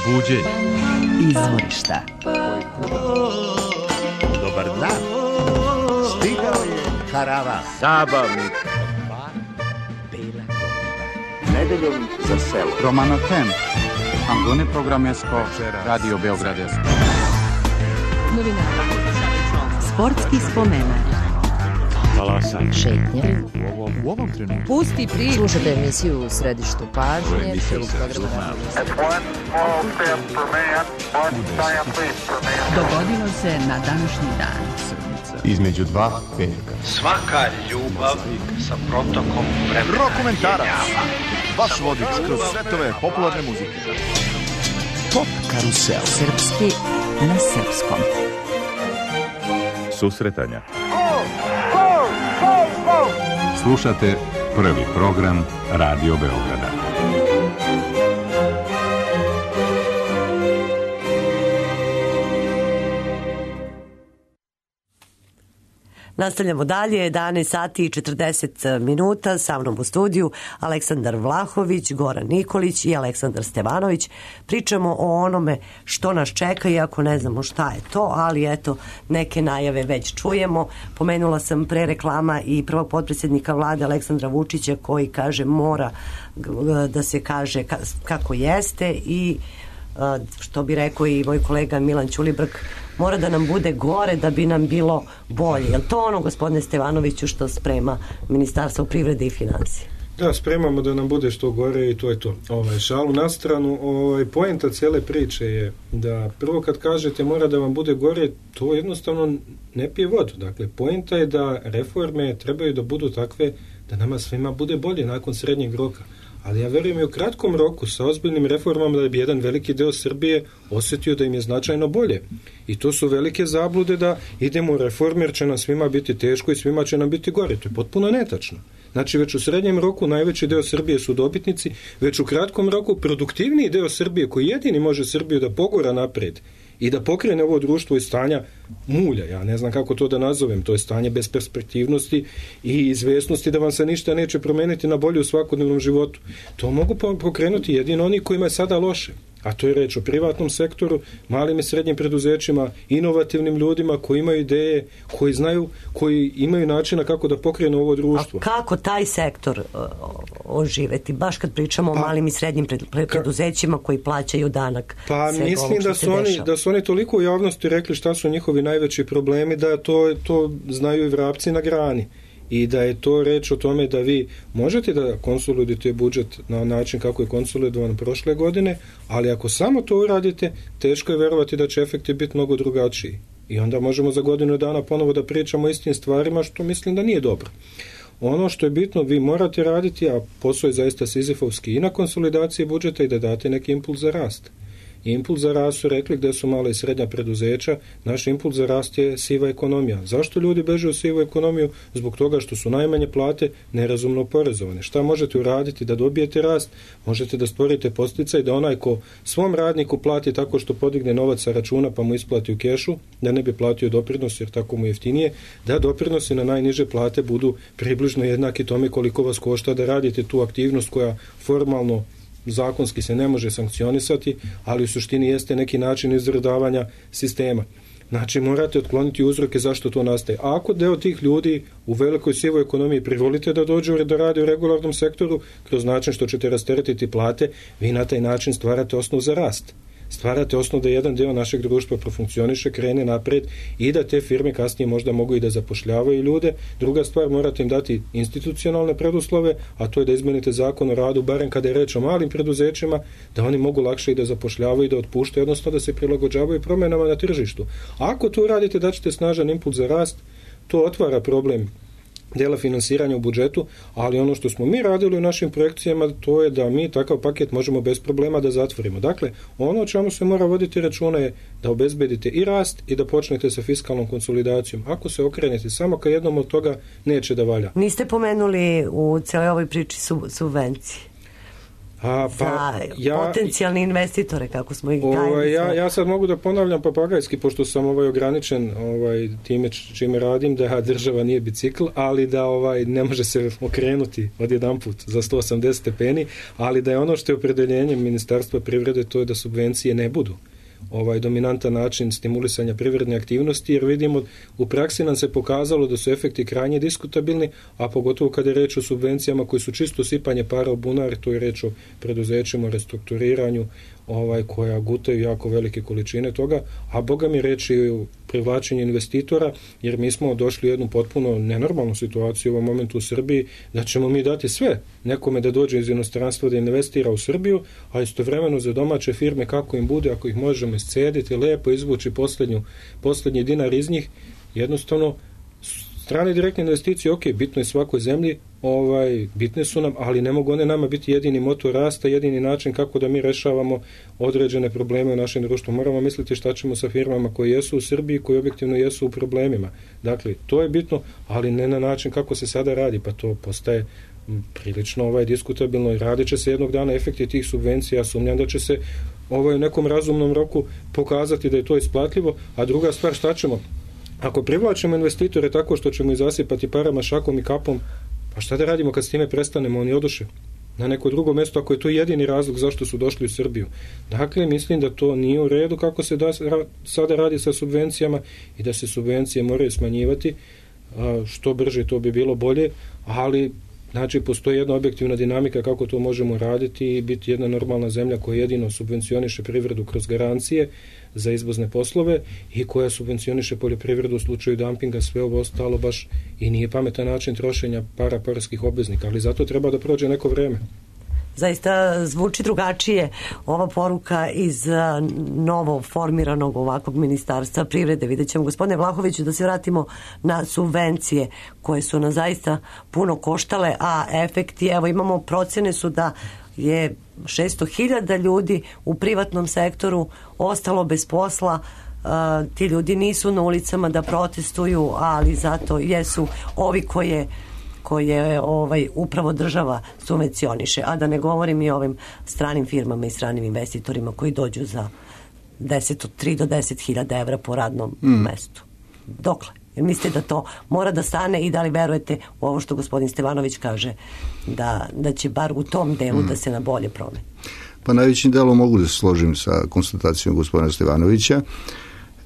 Buđenje. Izvorišta. Dobar dan. Stigao je karavan zabavnik. Bela godina. Nedeljom za selo. Romano Tem. Angone programesko. Radio Beogradesko. Novinara. Sportski spomenak. Talasanje. Šetnje. U ovom, u ovom trenutku. Pusti priču. Slušajte emisiju u središtu pažnje. Dogodilo se na današnji dan. između dva petka. Svaka ljubav sa protokom vremena. Rokomentarac, vaš vodič kroz svetove popularne muzike. Pop karusel. Srpski na srpskom. Susretanja. Slušate prvi program Radio Beograda. Nastavljamo dalje, jedanaest sati i četrdeset minuta, sa mnom u studiju Aleksandar Vlahović, Goran Nikolić i Aleksandar Stevanović. Pričamo o onome što nas čeka, iako ne znamo šta je to, ali eto, neke najave već čujemo. Pomenula sam pre reklama i prvog potpredsjednika vlade Aleksandra Vučića koji kaže mora da se kaže kako jeste i što bi rekao i moj kolega Milan Ćulibrk, mora da nam bude gore da bi nam bilo bolje. Je li to ono, gospodine Stevanoviću, što sprema Ministarstvo privrede i financije? Da, spremamo da nam bude što gore i to je to. Ovaj, šalu na stranu, ovaj, poenta cijele priče je da prvo kad kažete mora da vam bude gore, to jednostavno ne pije vodu. Dakle, poenta je da reforme trebaju da budu takve da nama svima bude bolje nakon srednjeg roka. Ali ja verujem i u kratkom roku sa ozbiljnim reformama da bi jedan veliki deo Srbije osjetio da im je značajno bolje. I to su velike zablude da idemo u reforme jer će nam svima biti teško i svima će nam biti gore. To je potpuno netačno. Znači već u srednjem roku najveći deo Srbije su dobitnici, već u kratkom roku produktivniji deo Srbije koji jedini može Srbiju da pogura napred i da pokrene ovo društvo iz stanja mulja, ja ne znam kako to da nazovem, to je stanje besperspektivnosti i izvesnosti da vam se ništa neće promeniti na bolje u svakodnevnom životu. To mogu pokrenuti jedino oni kojima je sada loše. A to je reč o privatnom sektoru, malim i srednjim preduzećima, inovativnim ljudima koji imaju ideje, koji znaju, koji imaju načina kako da pokrenu ovo društvo. A kako taj sektor uh, oživeti? Baš kad pričamo pa, o malim i srednjim preduzećima koji plaćaju danak. Pa mislim da su, oni, da su oni toliko u javnosti rekli šta su njihovi najveći problemi da to, to znaju i vrapci na grani. I da je to reč o tome da vi možete da konsolidujete budžet na način kako je konsolidovan prošle godine, ali ako samo to uradite, teško je verovati da će efekti biti mnogo drugačiji. I onda možemo za godinu dana ponovo da pričamo o istim stvarima, što mislim da nije dobro. Ono što je bitno, vi morate raditi, a posao je zaista sizifovski i na konsolidaciji budžeta i da date neki impuls za rast. Impuls za rast su rekli gde su mala i srednja preduzeća, naš impuls za rast je siva ekonomija. Zašto ljudi beže u sivu ekonomiju? Zbog toga što su najmanje plate nerazumno porezovane. Šta možete uraditi da dobijete rast? Možete da stvorite podsticaj da onaj ko svom radniku plati tako što podigne novac sa računa pa mu isplati u kešu, da ne bi platio doprinos jer tako mu jeftinije, da doprinosi na najniže plate budu približno jednaki tome koliko vas košta da radite tu aktivnost koja formalno zakonski se ne može sankcionisati, ali u suštini jeste neki način izradavanja sistema. Znači morate otkloniti uzroke zašto to nastaje. A ako deo tih ljudi u velikoj sivoj ekonomiji privolite da dođu da rade u regularnom sektoru, kroz način što ćete rasteretiti plate, vi na taj način stvarate osnov za rast. Stvarate osnov da jedan deo našeg društva profunkcioniše, krene napred i da te firme kasnije možda mogu i da zapošljavaju ljude. Druga stvar, morate im dati institucionalne preduslove, a to je da izmenite zakon o radu, barem kada je reč o malim preduzećima, da oni mogu lakše i da zapošljavaju i da otpuštaju, odnosno da se prilagođavaju promjenama na tržištu. Ako to uradite, daćete snažan impuls za rast, to otvara problem dela finansiranja u budžetu, ali ono što smo mi radili u našim projekcijama, to je da mi takav paket možemo bez problema da zatvorimo. Dakle, ono o čemu se mora voditi računa je da obezbedite i rast i da počnete sa fiskalnom konsolidacijom. Ako se okrenete samo ka jednom od toga, neće da valja. Niste pomenuli u cijeloj ovoj priči subvencije. A, pa, za ja, potencijalne investitore, kako smo ih ovaj, ja, ja sad mogu da ponavljam papagajski, pošto sam ovaj ograničen ovaj, time čime radim, da država nije bicikl, ali da ovaj, ne može se okrenuti odjedanput za sto osamdeset stepeni, ali da je ono što je opredeljenje Ministarstva privrede, to je da subvencije ne budu ovaj dominantan način stimulisanja privredne aktivnosti, jer vidimo u praksi nam se pokazalo da su efekti krajnje diskutabilni, a pogotovo kada je reč o subvencijama koji su čisto sipanje para u bunar, to je reč o preduzećima, o restrukturiranju, ovaj, koja gutaju jako velike količine toga, a boga mi reči i o privlačenju investitora, jer mi smo došli u jednu potpuno nenormalnu situaciju u ovom momentu u Srbiji, da ćemo mi dati sve nekome da dođe iz inostranstva da investira u Srbiju, a istovremeno za domaće firme kako im bude, ako ih možemo iscediti, lepo izvući poslednju, poslednji dinar iz njih, jednostavno strane direktne investicije, ok, bitno je svakoj zemlji, ovaj, bitne su nam, ali ne mogu one nama biti jedini motor rasta, jedini način kako da mi rešavamo određene probleme u našem društvu. Moramo misliti šta ćemo sa firmama koje jesu u Srbiji, koje objektivno jesu u problemima. Dakle, to je bitno, ali ne na način kako se sada radi, pa to postaje prilično ovaj, diskutabilno i radit će se jednog dana efekti tih subvencija, sumnjam da će se ovaj, u nekom razumnom roku pokazati da je to isplatljivo, a druga stvar, šta ćemo? Ako privlačimo investitore tako što ćemo ih zasipati parama, šakom i kapom, pa šta da radimo kad s time prestanemo, oni oduše na neko drugo mjesto, ako je to jedini razlog zašto su došli u Srbiju. Dakle, mislim da to nije u redu kako se da, sada radi sa subvencijama i da se subvencije moraju smanjivati, što brže to bi bilo bolje, ali znači postoji jedna objektivna dinamika kako to možemo raditi i biti jedna normalna zemlja koja jedino subvencioniše privredu kroz garancije za izvozne poslove i koja subvencioniše poljoprivredu u slučaju dumpinga, sve ovo ostalo baš i nije pametan način trošenja para poreskih obveznika, ali zato treba da prođe neko vreme. Zaista zvuči drugačije ova poruka iz novo formiranog ovakvog ministarstva privrede. Vidjet ćemo, gospodine Vlahoviću, da se vratimo na subvencije koje su nas zaista puno koštale, a efekti, evo imamo procene su da je šesto hiljada ljudi u privatnom sektoru ostalo bez posla. Uh, ti ljudi nisu na ulicama da protestuju, ali zato jesu ovi koje koje ovaj, upravo država subvencioniše, a da ne govorim i o ovim stranim firmama i stranim investitorima koji dođu za deset, od tri do deset hiljada evra po radnom mm. mestu. Dokle? Jer mislite da to mora da stane i da li verujete u ovo što gospodin Stevanović kaže da, da će bar u tom delu mm. da se na bolje promeni? Pa najvećim delom mogu da se složim sa konstatacijom gospodina Stevanovića.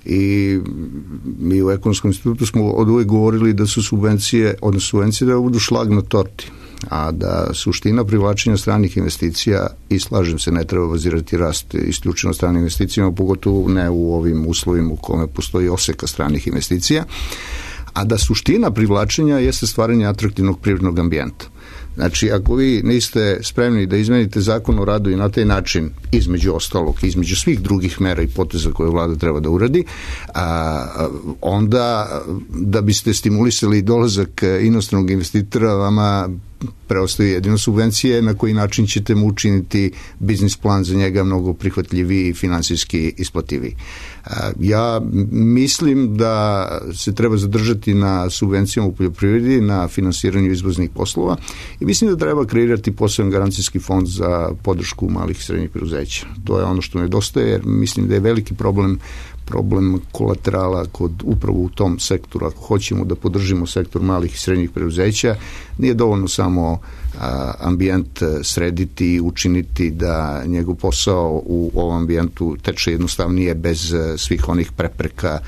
I mi u Ekonomskom institutu smo od uvek govorili da su subvencije, odnosno subvencije da budu šlag na torti, a da suština privlačenja stranih investicija, i slažem se, ne treba bazirati rast isključeno stranim investicijama, pogotovo ne u ovim uslovima u kome postoji oseka stranih investicija, a da suština privlačenja jeste stvaranje atraktivnog privrednog ambijenta. Znači, ako vi niste spremni da izmenite zakon o radu i na taj način, između ostalog, između svih drugih mera i poteza koje vlada treba da uradi, a, onda da biste stimulisali dolazak inostranog investitora, vama preostaje jedino subvencije na koji način ćete mu učiniti biznis plan za njega mnogo prihvatljiviji i finansijski isplativiji. Ja mislim da se treba zadržati na subvencijama u poljoprivredi, na finansiranju izvoznih poslova i mislim da treba kreirati poseban garancijski fond za podršku malih i srednjih preduzeća. To je ono što nedostaje, jer mislim da je veliki problem problem kolaterala kod upravo u tom sektoru. Ako hoćemo da podržimo sektor malih i srednjih preduzeća, nije dovoljno samo a, ambijent srediti i učiniti da njegov posao u ovom ambijentu teče jednostavnije bez a, svih onih prepreka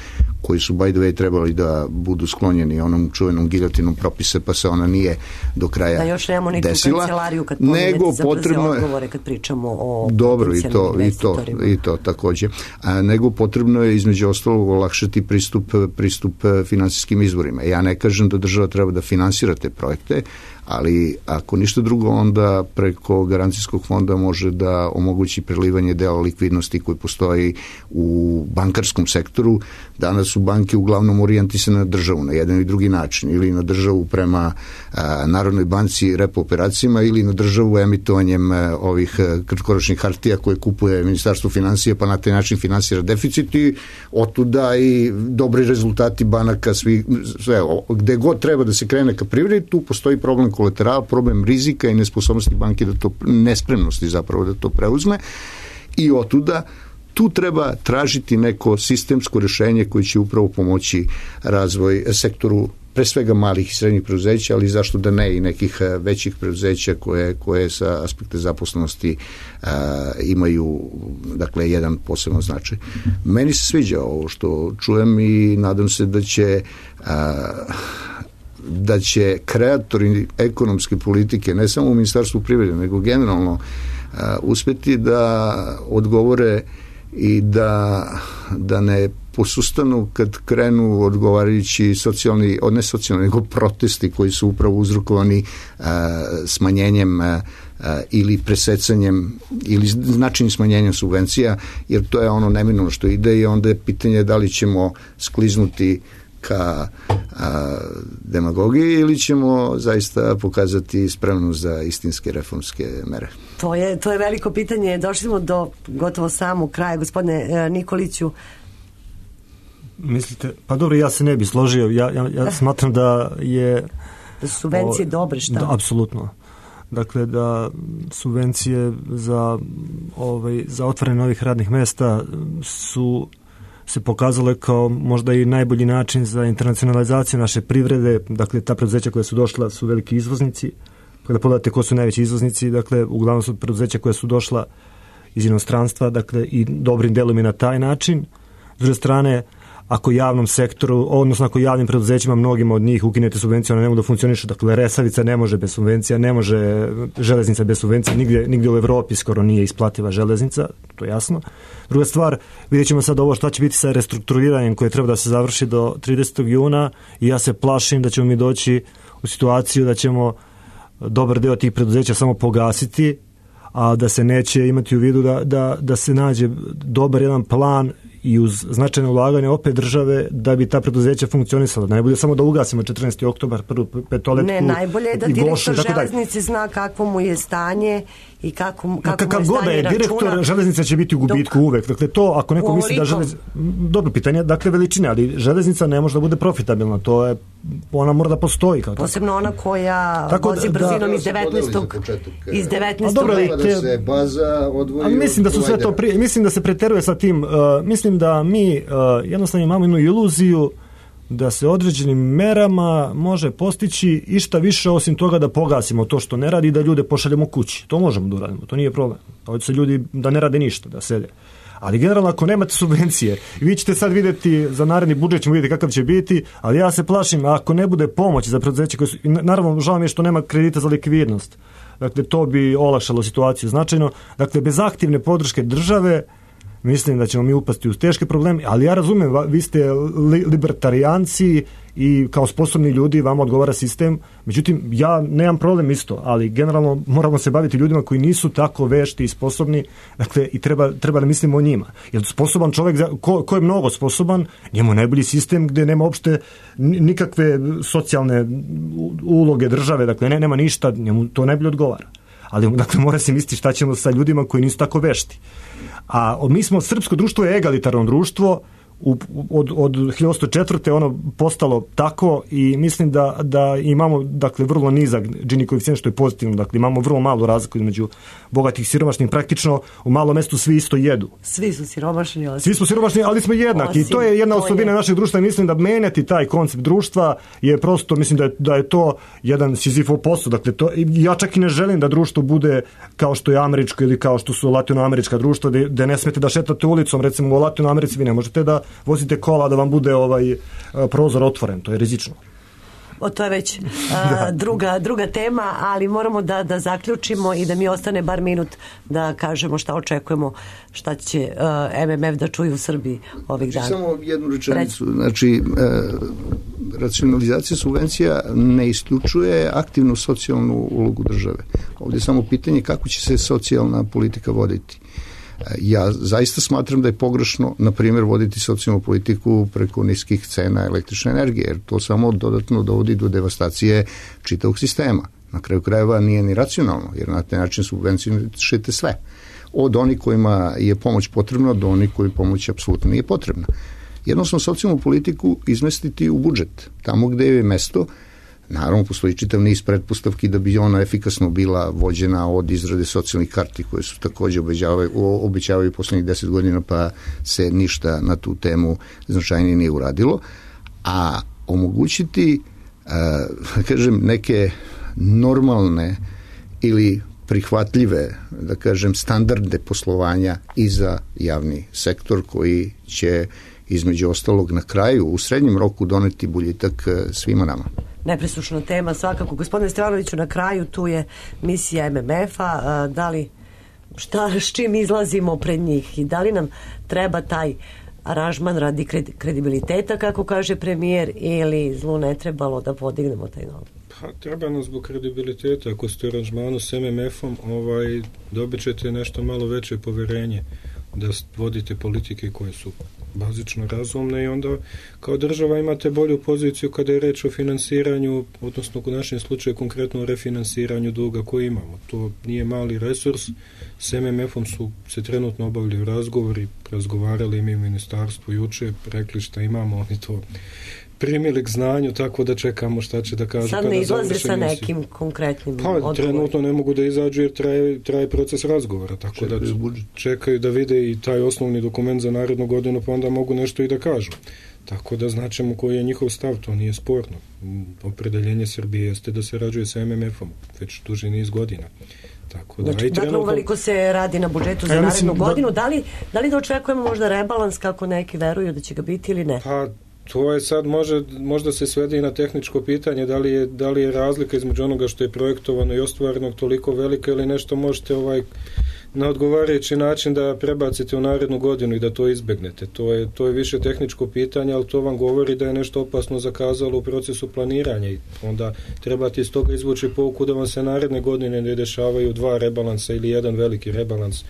koji su by the way trebali da budu sklonjeni onom čuvenom giljotinom propise, pa se ona nije do kraja desila. Da još nemamo neku desila, kancelariju kad nego za potrebno odgovore kad pričamo o dobro i to, i to, i to takođe. A, nego potrebno je između ostalog olakšati pristup, pristup finansijskim izvorima. Ja ne kažem da država treba da finansira te projekte, ali ako ništa drugo, onda preko garancijskog fonda može da omogući prelivanje dela likvidnosti koji postoji u bankarskom sektoru. Danas su banke uglavnom orijentisane na državu na jedan i drugi način, ili na državu prema a, Narodnoj banci repo operacijama, ili na državu emitovanjem a, ovih kratkoročnih hartija koje kupuje Ministarstvo finansija, pa na taj način finansira deficit i otuda i dobri rezultati banaka, svi, sve, gde god treba da se krene ka privredi, tu postoji problem kolateral, problem rizika i nesposobnosti banke da to, nespremnosti zapravo da to preuzme i otuda tu treba tražiti neko sistemsko rješenje koje će upravo pomoći razvoj sektoru pre svega malih i srednjih preduzeća, ali zašto da ne i nekih većih preduzeća koje, koje sa aspekta zaposlenosti a, imaju dakle jedan poseban značaj. Meni se sviđa ovo što čujem i nadam se da će a, da će kreatori ekonomske politike, ne samo u Ministarstvu privrede, nego generalno uh, uspjeti da odgovore i da, da ne posustanu kad krenu odgovarajući socijalni, od ne socijalni, nego protesti koji su upravo uzrokovani uh, smanjenjem uh, ili presecanjem ili značajnim smanjenjem subvencija, jer to je ono neminovno što ide i onda je pitanje da li ćemo skliznuti ka a, demagogiji ili ćemo zaista pokazati spremnost za istinske reformske mere? To je, to je veliko pitanje. Došli smo do gotovo samog kraja. Gospodine Nikoliću, mislite, pa dobro, ja se ne bi složio. Ja, ja, ja smatram da je... Da su subvencije o, dobre, šta? Da, apsolutno. Dakle, da subvencije za, ovaj, za otvaranje novih radnih mesta su se pokazale kao možda i najbolji način za internacionalizaciju naše privrede. Dakle, ta preduzeća koja su došla su veliki izvoznici. Kada pogledate ko su najveći izvoznici, dakle, uglavnom su preduzeća koja su došla iz inostranstva, dakle, i dobrim delom i na taj način. S druge strane, ako javnom sektoru, odnosno ako javnim preduzećima, mnogima od njih ukinete subvencije, one ne mogu da funkcionišu. Dakle, Resavica ne može bez subvencija, ne može železnica bez subvencija, nigdje, nigdje u Evropi skoro nije isplativa železnica, to je jasno. Druga stvar, vidjet ćemo sad ovo šta će biti sa restrukturiranjem koje treba da se završi do tridesetog juna i ja se plašim da ćemo mi doći u situaciju da ćemo dobar deo tih preduzeća samo pogasiti, a da se neće imati u vidu da, da, da se nađe dobar jedan plan i uz značajno ulaganje opet države da bi ta preduzeća funkcionisala. Da ne bude samo da ugasimo četrnaesti oktobar, prvu petoletku. Ne, najbolje je da direktor železnice zna kakvo mu je stanje i kako, kako Kakav mu je stanje je računa. Direktor železnice će biti u gubitku dok, uvek. Dakle, to ako neko misli da železnica... Dobro pitanje, dakle, veličine, ali železnica ne može da bude profitabilna. To je, ona mora da postoji. Kao posebno tako. ona koja tako vozi da, brzinom da, iz devetnaestog iz devetnaestog veka. Da se baza odvoji. Ali mislim da su sve to prije, mislim da se preteruje sa tim, uh, mislim da mi uh, jednostavno imamo jednu iluziju da se određenim merama može postići išta više osim toga da pogasimo to što ne radi i da ljude pošaljemo kući. To možemo da uradimo, to nije problem. Ovdje se ljudi da ne rade ništa, da sede. Ali generalno ako nemate subvencije, vi ćete sad vidjeti, za naredni budžet ćemo vidjeti kakav će biti, ali ja se plašim ako ne bude pomoći za preduzeće koje su, naravno žao mi je što nema kredita za likvidnost. Dakle, to bi olakšalo situaciju značajno. Dakle, bez aktivne podrške države mislim da ćemo mi upasti u teške probleme, ali ja razumijem, vi ste li, libertarijanci i kao sposobni ljudi vama odgovara sistem, međutim ja nemam problem isto, ali generalno moramo se baviti ljudima koji nisu tako vešti i sposobni, dakle i treba, treba da mislimo o njima. Jer sposoban čovjek, ko, ko je mnogo sposoban, njemu je najbolji sistem gdje nema uopšte nikakve socijalne uloge države, dakle ne, nema ništa, njemu to najbolje odgovara. Ali dakle mora se misliti šta ćemo sa ljudima koji nisu tako vešti. A mi smo, srpsko društvo je egalitarno društvo, u, od, od hiljadu osamsto četvrte ono postalo tako i mislim da, da imamo dakle vrlo nizak Gini koeficijent što je pozitivno, dakle imamo vrlo malu razliku između bogatih i siromašnih, praktično u malom mestu svi isto jedu. Svi su siromašni, ali svi smo siromašni, ali smo jednaki osim, i to je jedna osobina je... našeg društva i mislim da menjati taj koncept društva je prosto, mislim da je, da je to jedan Sizifov posao, dakle to, ja čak i ne želim da društvo bude kao što je američko ili kao što su latinoamerička društva, da, da ne smete da šetate ulicom, recimo u Latinoamerici vi ne možete da vozite kola da vam bude ovaj prozor otvoren, to je rizično. O, to je već a, druga, druga tema, ali moramo da, da zaključimo i da mi ostane bar minut da kažemo šta očekujemo, šta će a, M M F da čuju u Srbiji ovih dana. Samo jednu rečenicu. Znači, e, racionalizacija subvencija ne isključuje aktivnu socijalnu ulogu države. Ovdje je samo pitanje kako će se socijalna politika voditi. Ja zaista smatram da je pogrešno, na primjer, voditi socijalnu politiku preko niskih cena električne energije, jer to samo dodatno dovodi do devastacije čitavog sistema. Na kraju krajeva nije ni racionalno, jer na taj način subvencionišete sve. Od onih kojima je pomoć potrebna do onih koji pomoć apsolutno nije potrebna. Jednostavno socijalnu politiku izmestiti u budžet, tamo gde je mesto. Naravno, postoji čitav niz pretpostavki da bi ona efikasno bila vođena od izrade socijalnih karti koje su također obećavaju, obećavaju poslednjih deset godina pa se ništa na tu temu značajnije nije uradilo. A omogućiti, a, kažem, neke normalne ili prihvatljive, da kažem, standardne poslovanja i za javni sektor koji će između ostalog na kraju u srednjem roku doneti boljitak svima nama. Nepresušna tema svakako. Gospodine Stevanoviću, na kraju tu je misija M M F-a, da li šta, s čim izlazimo pred njih i da li nam treba taj aranžman radi kredibiliteta, kako kaže premijer, ili zlu ne trebalo da podignemo taj novac? Pa, treba nam zbog kredibiliteta. Ako ste u aranžmanu s M M F-om, ovaj, dobit ćete nešto malo veće poverenje da vodite politike koje su bazično razumne i onda kao država imate bolju poziciju kada je reč o finansiranju, odnosno u našem slučaju konkretno o refinansiranju duga koji imamo. To nije mali resurs. S M M F-om su se trenutno obavljaju razgovori, razgovarali mi u ministarstvu juče, rekli šta imamo, oni to primili k znanju, tako da čekamo šta će da kažu. Sad ne izlaze sa nekim konkretnim pa, odgovorima. Trenutno ne mogu da izađu jer traje, traje proces razgovora, tako čekaju da budžet. Čekaju da vide i taj osnovni dokument za narednu godinu, pa onda mogu nešto i da kažu. Tako da značimo koji je njihov stav, to nije sporno. Opredeljenje Srbije jeste da se rađuje sa M M F-om već duži niz godina. Tako da, znači, dakle, uveliko se radi na budžetu za ja narednu mislim, godinu. Da li, da li da očekujemo možda rebalans kako neki veruju da će ga biti ili ne? Pa, to je sad može, možda se svede i na tehničko pitanje da li, je, da li je razlika između onoga što je projektovano i ostvareno toliko velika ili nešto možete ovaj na odgovarajući način da prebacite u narednu godinu i da to izbegnete. To je, to je više tehničko pitanje, ali to vam govori da je nešto opasno zakazalo u procesu planiranja i onda trebate iz toga izvući pouku da vam se naredne godine ne dešavaju dva rebalansa ili jedan veliki rebalans.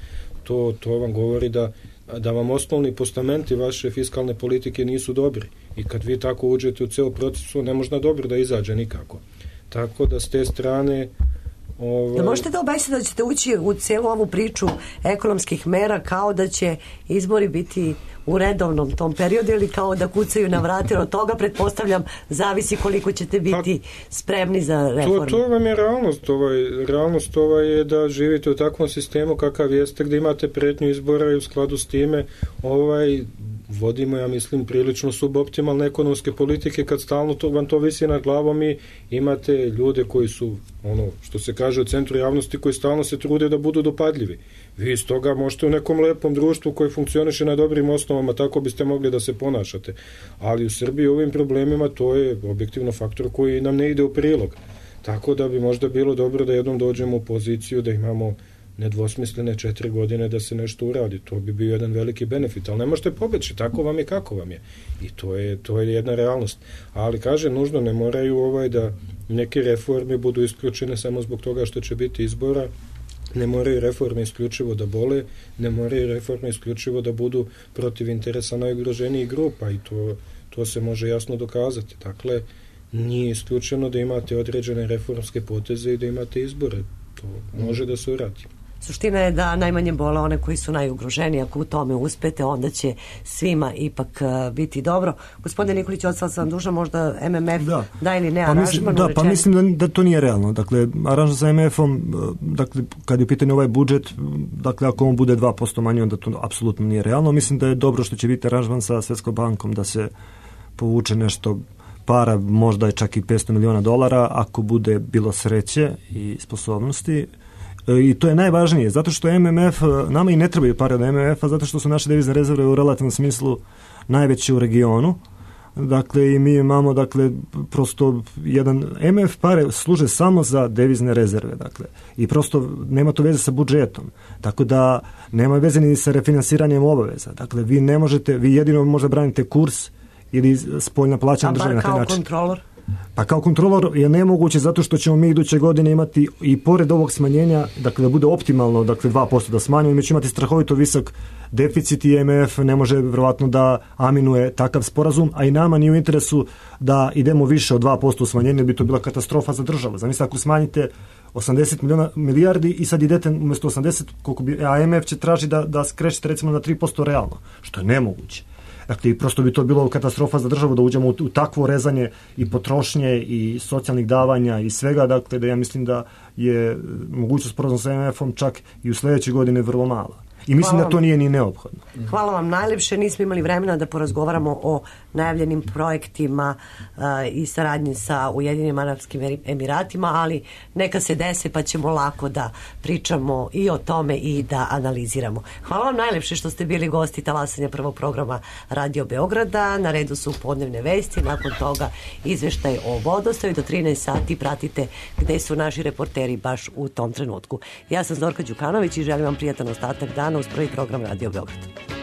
To, to vam govori da da vam osnovni postamenti vaše fiskalne politike nisu dobri i kad vi tako uđete u ceo procesu ne možda dobro da izađe nikako. Tako da s te strane ovaj... Da možete da obećate da ćete ući u celu ovu priču ekonomskih mera kao da će izbori biti u redovnom tom periodu ili kao da kucaju na vrate, od toga pretpostavljam zavisi koliko ćete biti pa, spremni za reformu. To, to vam je realnost. Ovaj, realnost ovaj je da živite u takvom sistemu kakav jeste gdje imate pretnju izbora i u skladu s time ovaj, vodimo, ja mislim, prilično suboptimalne ekonomske politike kad stalno to, vam to visi nad glavom i imate ljude koji su, ono što se kaže u centru javnosti, koji stalno se trude da budu dopadljivi. Vi iz toga možete u nekom lepom društvu koji funkcioniše na dobrim osnovama, tako biste mogli da se ponašate. Ali u Srbiji ovim problemima to je objektivno faktor koji nam ne ide u prilog. Tako da bi možda bilo dobro da jednom dođemo u poziciju da imamo nedvosmislene četiri godine da se nešto uradi. To bi bio jedan veliki benefit, ali ne možete pobeći, tako vam je kako vam je. I to je, to je jedna realnost. Ali kaže, nužno ne moraju ovaj da neke reforme budu isključene samo zbog toga što će biti izbora, ne moraju reforme isključivo da bole, ne moraju reforme isključivo da budu protiv interesa najugroženijih grupa i to, to se može jasno dokazati. Dakle, nije isključeno da imate određene reformske poteze i da imate izbore. To može da se uradi. Suština je da najmanje bole one koji su najugroženiji. Ako u tome uspete, onda će svima ipak uh, biti dobro. Gospodine Nikolić, ostala sam duža, možda M M F da, da ili ne pa aranžman? Mislim, da, pa mislim da, da to nije realno. Dakle, aranžman sa M M F-om, dakle, kad je u pitanju ovaj budžet, dakle, ako on bude dva posto manji, onda to apsolutno nije realno. Mislim da je dobro što će biti aranžman sa Svetskom bankom, da se povuče nešto para, možda je čak i petsto miliona dolara, ako bude bilo sreće i sposobnosti. I to je najvažnije, zato što M M F, nama i ne trebaju pare od M M F-a, zato što su naše devizne rezerve u relativnom smislu najveće u regionu. Dakle, i mi imamo, dakle, prosto jedan, M M F pare služe samo za devizne rezerve, dakle, i prosto nema to veze sa budžetom, tako da nema veze ni sa refinansiranjem obaveza. Dakle, vi ne možete, vi jedino možda branite kurs ili spoljna plaćanja države na taj način. A bar kao kontrolor? Pa kao kontrolor je nemoguće zato što ćemo mi iduće godine imati i pored ovog smanjenja, dakle da bude optimalno, dakle dva posto da smanjimo, mi ćemo imati strahovito visok deficit i M M F ne može vjerovatno da aminuje takav sporazum, a i nama nije u interesu da idemo više od dva posto u smanjenje, bi to bila katastrofa za državu. Zamislite ako smanjite osamdeset miliona milijardi i sad idete umjesto osamdeset, koliko bi, a M M F će traži da, da skrećete recimo na tri posto realno, što je nemoguće. Dakle, prosto bi to bilo katastrofa za državu da uđemo u, u takvo rezanje i potrošnje i socijalnih davanja i svega, dakle, da ja mislim da je mogućnost sporazuma sa M M F-om čak i u sljedećoj godine vrlo mala. I mislim da to nije ni neophodno. Hvala vam najljepše. Nismo imali vremena da porazgovaramo o najavljenim projektima uh, i saradnji sa Ujedinjenim Arapskim Emiratima, ali neka se dese pa ćemo lako da pričamo i o tome i da analiziramo. Hvala vam najljepše što ste bili gosti talasanja prvog programa Radio Beograda. Na redu su podnevne vesti, nakon toga izveštaj o vodostaju. Do trinaest sati pratite gde su naši reporteri baš u tom trenutku. Ja sam Zorka Đukanović i želim vam prijatan ostatak dana uz prvi program Radio Beograd.